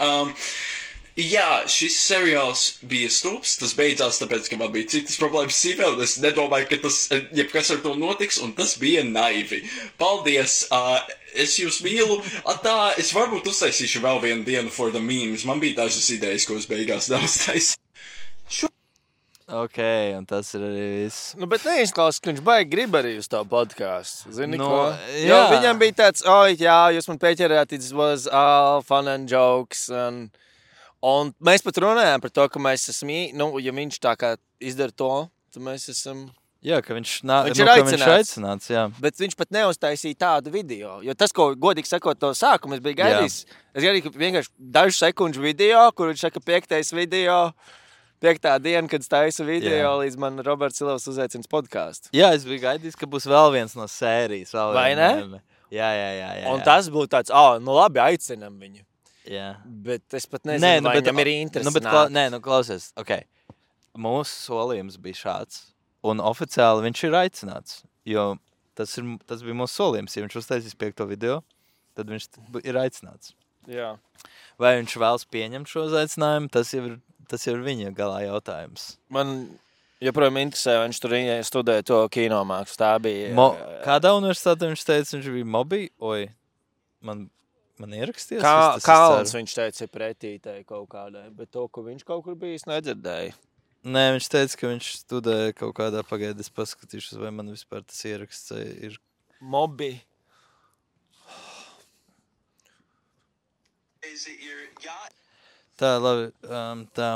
Jā, šis seriāls bija stulbs, tas beidzās tāpēc, ka man bija citas problēmas sīvē, un es nedomāju, ka tas, jebkas ar to notiks, un tas bija naivi. Paldies, es jūs mīlu. Es varbūt uztaisīšu vēl vienu dienu for the memes. Man bija dažas idejas, ko es beigās neuztaisīju. Ok, un tas ir arī viss. Nu, bet neizklausās, ka viņš baigi grib arī uz tavu podkāstu. Zini, Nu, ko? jā. Jo viņam bija tāds, jā, jūs man pieķerāt, it was all fun and jokes, un mēs pat runājām par to, ka mēs esam, ja viņš tā kā izdara to, tad mēs esam... Jā, ka viņš ir aicināts, jā. Bet viņš pat neuztaisīja tādu video. Jo tas, ko godīgi sakot, to sākumu es biju gaidījis. Es gaidīju, ka vienkārši dažu sekundžu video, kur viņš saka 5. video, 5. diena, kad es taisu video, līdz man Roberts Silovs uzaicins podkāstu. Jā, es biju gaidījis, ka būs vēl viens no sērijas. Vai ne? Jā. Un tas būtu tāds, nu labi, aicinam viņu. Jā. Bet es pat nezinu, vai viņam ir interesanti. Klausies, ok. Mūsu solījums bija šāds. Un oficiāli viņš ir aicināts, jo tas bija mūsu solījums. Ja viņš uztaisīs 5. video, tad viņš ir aicināts. Jā. Vai viņš vēlas pieņemt šo aicinājumu, tas jau ir viņa galā jautājums. Man joprojām interesē, vai viņš tur studēja to kinomākslu. Tā bija... Kādā universitātē viņš teica, viņš bija Mobi? Oi, man ieraksties? Kalns viņš teica pretītai kaut kādai, bet to, ka viņš kaut kur bijis, nedzirdēja. Nē, viņš teica, ka viņš studēja kaut kādā pagaidē. Es paskatīšos, vai man vispār tas ieraksts ir. Mobi. Tā, labi. Tā.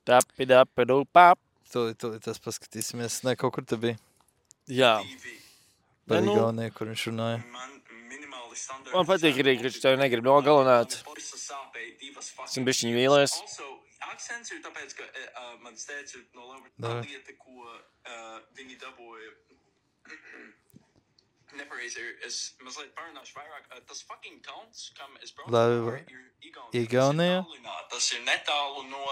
Tapi-dapi-du-pap. Tūlīt tas paskatīsimies. Nē, kaut kur te bija. Jā. Par Igauniju, kur viņš runāja. Man patīk arī, ka viņš tevi negrib nogalināt. Esmu bišķiņ vīlies. Akcents ir tāpēc, ka mans tēvs ir no Lielbritānijas, lieta, ko viņi dabūja. nepareizi ir. Es mazliet parunāšu vairāk. Tas fucking tauns, kam es braucu Lai- ir Igaunijā? Tas ir netālu no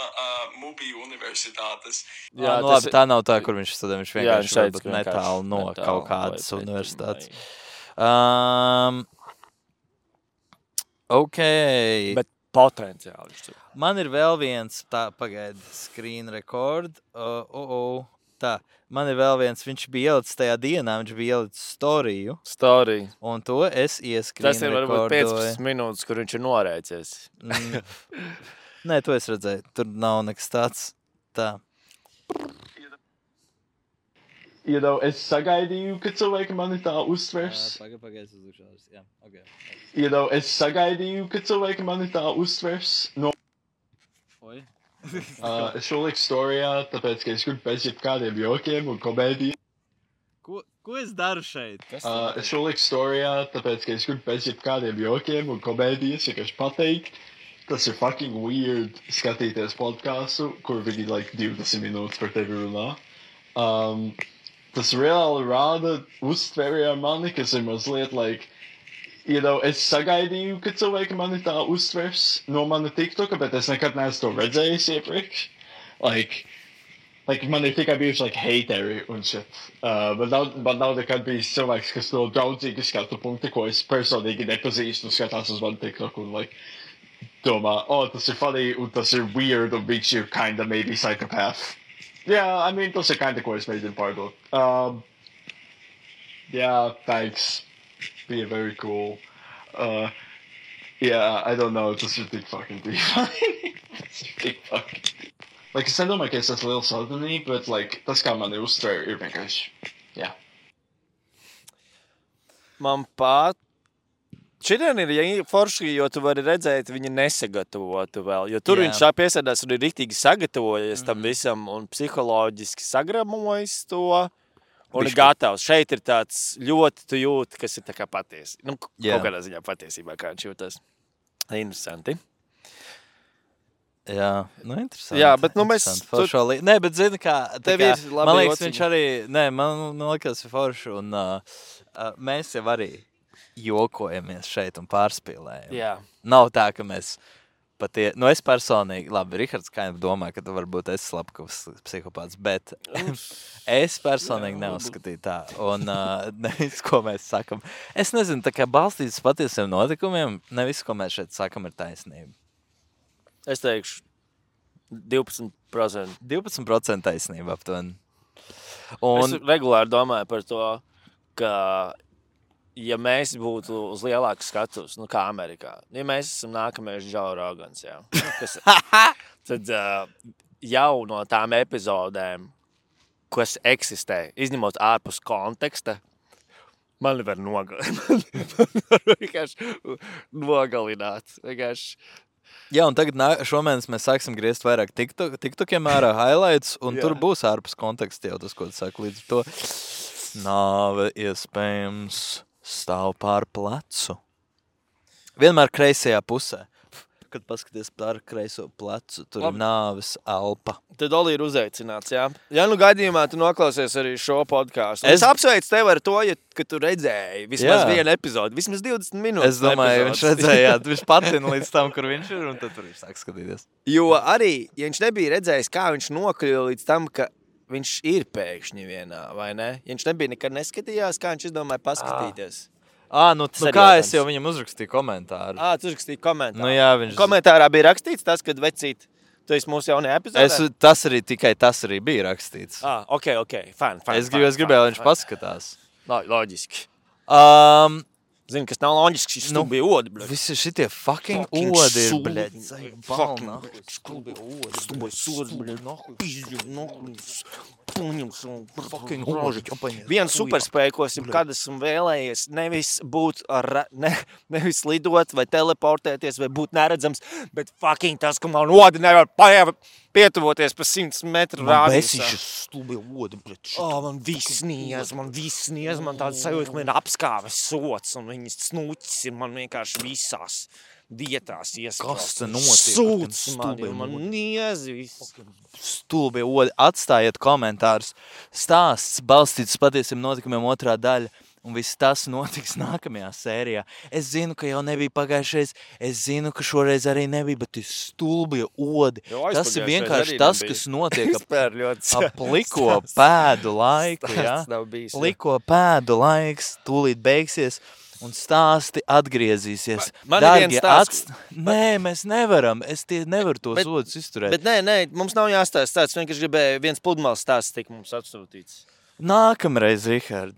Mūbiju universitātes. Jā, nu, labi, tā nav tā, kur viņš studē. Viņš Jā, vienkārši viņš teica, varbūt ka netālu no netālu kaut kādas vai universitātes. vai- Ok. Bet potenciāli viņš tur. Man ir vēl viens, tā, pagaidi, screen record. Tā, man ir vēl viens, viņš bija ielicis tajā dienā, viņš bija ielicis storiju, Story. un to es ieskrīnu Tas ir varbūt 15 minūtes, kur viņš ir norēcies. Nē, to es redzēju, tur nav nekas tāds. Tā. Es sagaidīju, ka cilvēki mani tā uztvers. Pagaidi, es uzlikšu. Jā, ok. Es sagaidīju, ka cilvēki mani tā uztvers. No, Oi. es šo liku storijā, tāpēc, ka es gribu pēc jebkādiem jokiem un komēdijiem. Ko es daru šeit? Es šo liku storijā, tāpēc, ka es gribu pēc jebkādiem jokiem un komēdijas vienkārši pateikt. Tas ir fucking weird skatīties podcastu, kur viņi 20 minūtes par tevi runā. Tas reāli rāda uztveri ar mani, kas ir mazliet es sagaidīju, ka cilvēki mani tā uztvers no mana TikToka, bet es nekad neesmu to redzējis iepriekš. Man ir tikai bijuši hateri un shit. Man nav nekad bijis cilvēks, kas no draudzīgi skatu punkti, ko es personīgi nepazīstu, skatās uz manu TikToku un domā, tas ir funny un tas ir weird un viņš ir kinda maybe psychopath. Yeah, tas ir kinda, ko es mēģinu pārdot. Yeah, thanks. Be very cool. Yeah, I don't know. Tas ir tik fucking deep. Tas ir tik fucking deep. Es nedomāju, ka es esmu liels saldinī, bet tas, kā mani uztver, ir vienkārši. Jā. Man pat. Šodien ir forši, jo tu vari redzēt, viņa nesagatavotu vēl. Jo tur viņš piesēdās un ir riktīgi sagatavojies tam visam un psiholoģiski sagramojas to. Un ir gatavs. Šeit ir tāds ļoti tu jūti, kas ir tā kā patiesi. Kaut kādā ziņā patiesībā, kā viņš jūtas. Interesanti. Jā, interesanti. Jā, bet mēs... Nē, bet zini kā... Tev ir labi man liekas, jociņi. viņš arī... Nē, man liekas, ir forši. Un mēs jau arī jokojamies šeit un pārspīlējam. Jā. Nav tā, ka mēs es personīgi... Labi, Rihards Kainv domāja, ka tu varbūt esi Slepkovs psihopāts, bet es personīgi neuzskatīju tā. Un nevis, ko mēs sakam. Es nezinu, tā kā balstīts patiesiem notikumiem, nevis, ko mēs šeit sakam, ir taisnība. Es teikšu 12%. 12% taisnība aptuveni. Es regulāri domāju par to, ka ja mēs būtu uz lielāku skatus, kā Amerikā, ja mēs esam nākamais Joe Rogans, tad jau no tām epizodēm, kas eksistē, izņemot ārpus konteksta, man var nogalināt. Vienkārši. Jā, un tagad šomēnes mēs sāksim griezt vairāk TikTokiem ārā highlights, un tur būs ārpus konteksta jau tas, ko tu saki līdz to. Nāve iespējams stāv pār plecu. Vienmēr kreisajā pusē. Kad paskaties pār kreiso plecu, tur ir nāves elpa. Tad Oli ir uzaicināts, jā? Ja gadījumā tu noklausies arī šo podcastu. Es apsveicu tevi ar to, ka tu redzēji vismaz vienu epizodu, vismaz 20 minūtes. Es domāju, viņš redzēja, viņš patina līdz tam, kur viņš ir, un tad tur viņš sāk skatīties. Jo arī, ja viņš nebija redzējis, kā viņš nokļuva līdz tam, ka viņš ir pēkšņi vienā, vai ne? Ja viņš nebija nekad neskatījās, kā viņš izdomāja paskatīties. Kā es jau viņam uzrakstīju komentāru? Tu uzrakstīju komentāru. Jā, komentārā bija rakstīts tas, kad vecīt, tu esi mūsu jaunajā epizodē? Tas arī bija rakstīts. Ok, fine. Es gribēju, lai viņš paskatās. Loģiski. Zini, kas nav loģiski, šis bija odi, bļaļ. Visi šitie fucking odi ir, bļaļ. Stulbi odi, bļaļ. Fucking odi. Viena superspēja, ko esmu kad esmu vēlējies, nevis lidot vai teleportēties vai būt neredzams, bet fucking tas, ka man odi nevar pietuvoties pa 100 metru rādījusā. Man besīši stulbi odi, bļaļ. Man viss niez, man tāds sajūta, ka man ir apskāves sots un viņas snūķis ir man vienkārši visās vietās iesprāstas. Kas te notiek? Sūds man niez viss. Stulbi odi. Atstājiet komentārus. Stāsts balstīts patiesiem notikumiem otrā daļa. un viss tas notiks nākamajā sērijā. Es zinu, ka jau nebija pagājušais, es zinu, ka šoreiz arī nebija, bet ir stulbie odi. Tas ir vienkārši tas, kas notiek ap pliko pēdu laiku, ja? Pliko pēdu laiks, tūlīt beigsies. Un stāsti atgriezīsies. Man ir viens stāsts. Nē, mēs nevaram. Es nevaru tos odus izturēt. Bet nē, mums nav jāstāst stāsts. Vienkārši gribēju viens pludmales stāsts tik mums atsūtīts. Nākamreiz, Rihard.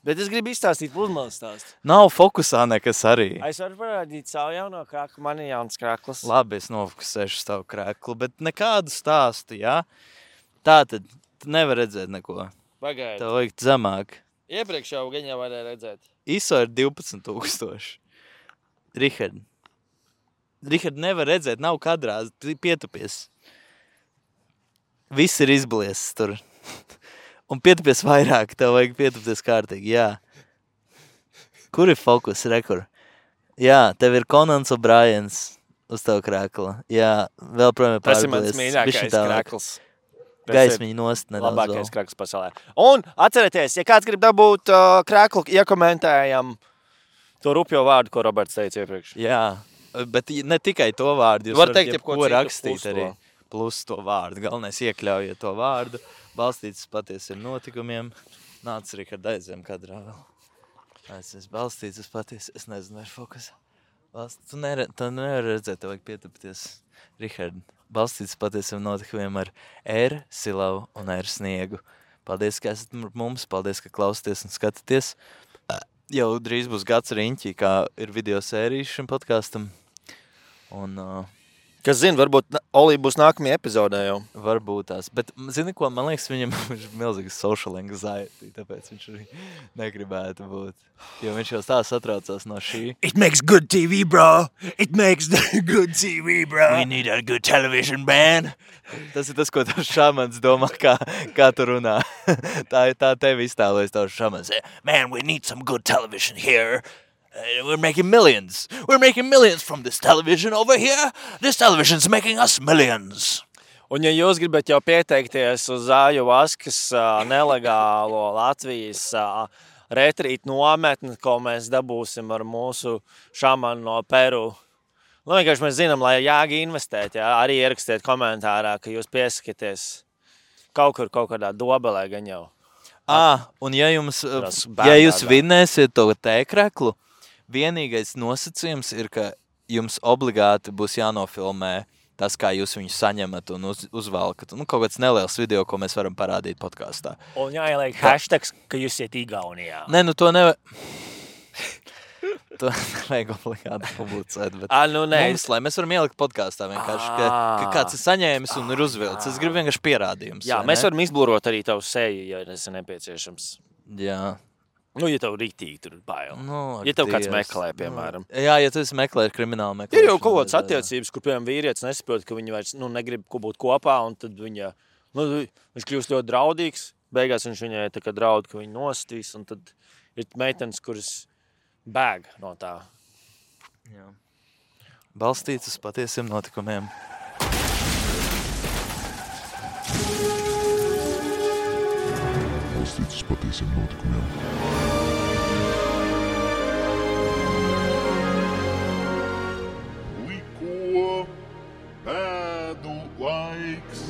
Bet es gribu izstāstīt pludmales stāstu. Nav fokusā nekas arī. Es varu parādīt savu jauno krāklu. Man ir jauns krāklis. Labi, es nofokusēšu savu krāklu, bet nekādu stāstu, jā? Tātad, tu nevar redzēt neko. Pagaidi. Tev vajag zemāk. Iepriekš jau gan jau varēja redzēt. ISO ir 12,000. Rihard, nevar redzēt, nav kadrā, pietupies. Viss ir izbliesis tur. Un pietupies vairāk, tev vajag pietupties kārtīgi, jā. Kur ir fokus, rekur? Jā, tev ir Conans O'Briens uz tavu krākla. Jā, vēl projām Tas ir mans mīļākais krākls. Gaismiņu nost nedaudz labākais krāklis pasaulē. Un atcerieties, ja kāds grib dabūt krāklu, iekomentējam to rupjo vārdu, ko Roberts teica iepriekš. Jā, bet ne tikai to vārdu. Jūs varat teikt, ko rakstīt arī. Plus to vārdu. Galvenais iekļaujiet to vārdu. Balstīts patiesiem notikumiem. Nāc, Rihard, aizem kadrā vēl. Es balstīts uz patiesi. Es nezinu, vai fokusā. Tu nevar redzēt, tev vajag pietupties. Rihard. Balstīts patiesiem notikumiem ar R, Silavu un R, Sniegu. Paldies, ka esat mums, paldies, ka klausāties un skatāties. Jau drīz būs gads riņķī, kā ir video sērijas šim podkastam. Un, kas zina, varbūt Olī būs nākamajā epizodē jau. Varbūt tās, bet zini ko, man liekas, viņam ir milzīga social anxiety, tāpēc viņš arī negribētu būt. Jo viņš jau tā satraucās no šī. It makes good TV, bro. It makes good TV, bro. We need a good television, man. Tas ir tas, ko tavs šamans domā, kā tu runā. tā tevi iztēlojas tavs šamans. Man, we need some good television here. We're making millions. We're making millions from this television over here. This television's making us millions. Un ja jūs gribat jau pieteikties uz Zāju Vaskas nelegālo Latvijas retrīt nometni, ko mēs dabūsim ar mūsu šamanu no Peru. Vienkārši mēs zinām, lai jāgi investēt, jā, arī ierakstiet komentārā, ka jūs piesakieties kaut kādā dobelē gan jau. Un ja jūs vinnēsiet to tēkreklu, vienīgais nosacījums ir, ka jums obligāti būs jānofilmē tas, kā jūs viņu saņemat un uzvalkat. Kaut kāds neliels video, ko mēs varam parādīt podkastā. Un jāieliek hashtags, ka jūs iet Igaunijā. Nē, to nevar... To nevajag obligāti publicēt, bet mums, lai mēs varam ielikt podkastā vienkārši, ka kāds ir saņēmis un ir uzvilcis. Es gribu vienkārši pierādījums. Jā, mēs varam izblurot arī tavu seju, ja tas ir nepieciešams. Jā. Ja tev rītīgi tur bail. Ja tev kāds meklē, piemēram. Jā, ja tu esi meklējis kriminālu meklēšanu. Ir jau kaut kāds attiecības, kur, piemēram, vīrietis nesaprot, ka viņi vairs negrib būt kopā, un tad viņš kļūst ļoti draudīgs. Beigās viņš viņai tā kā draud, ka viņi nostīs, un tad ir meitenes, kuras bēg no tā. Jā. Balstīts uz patiesiem notikumiem. Balstīts uz patiesiem notikumiem. Pēdu laiks.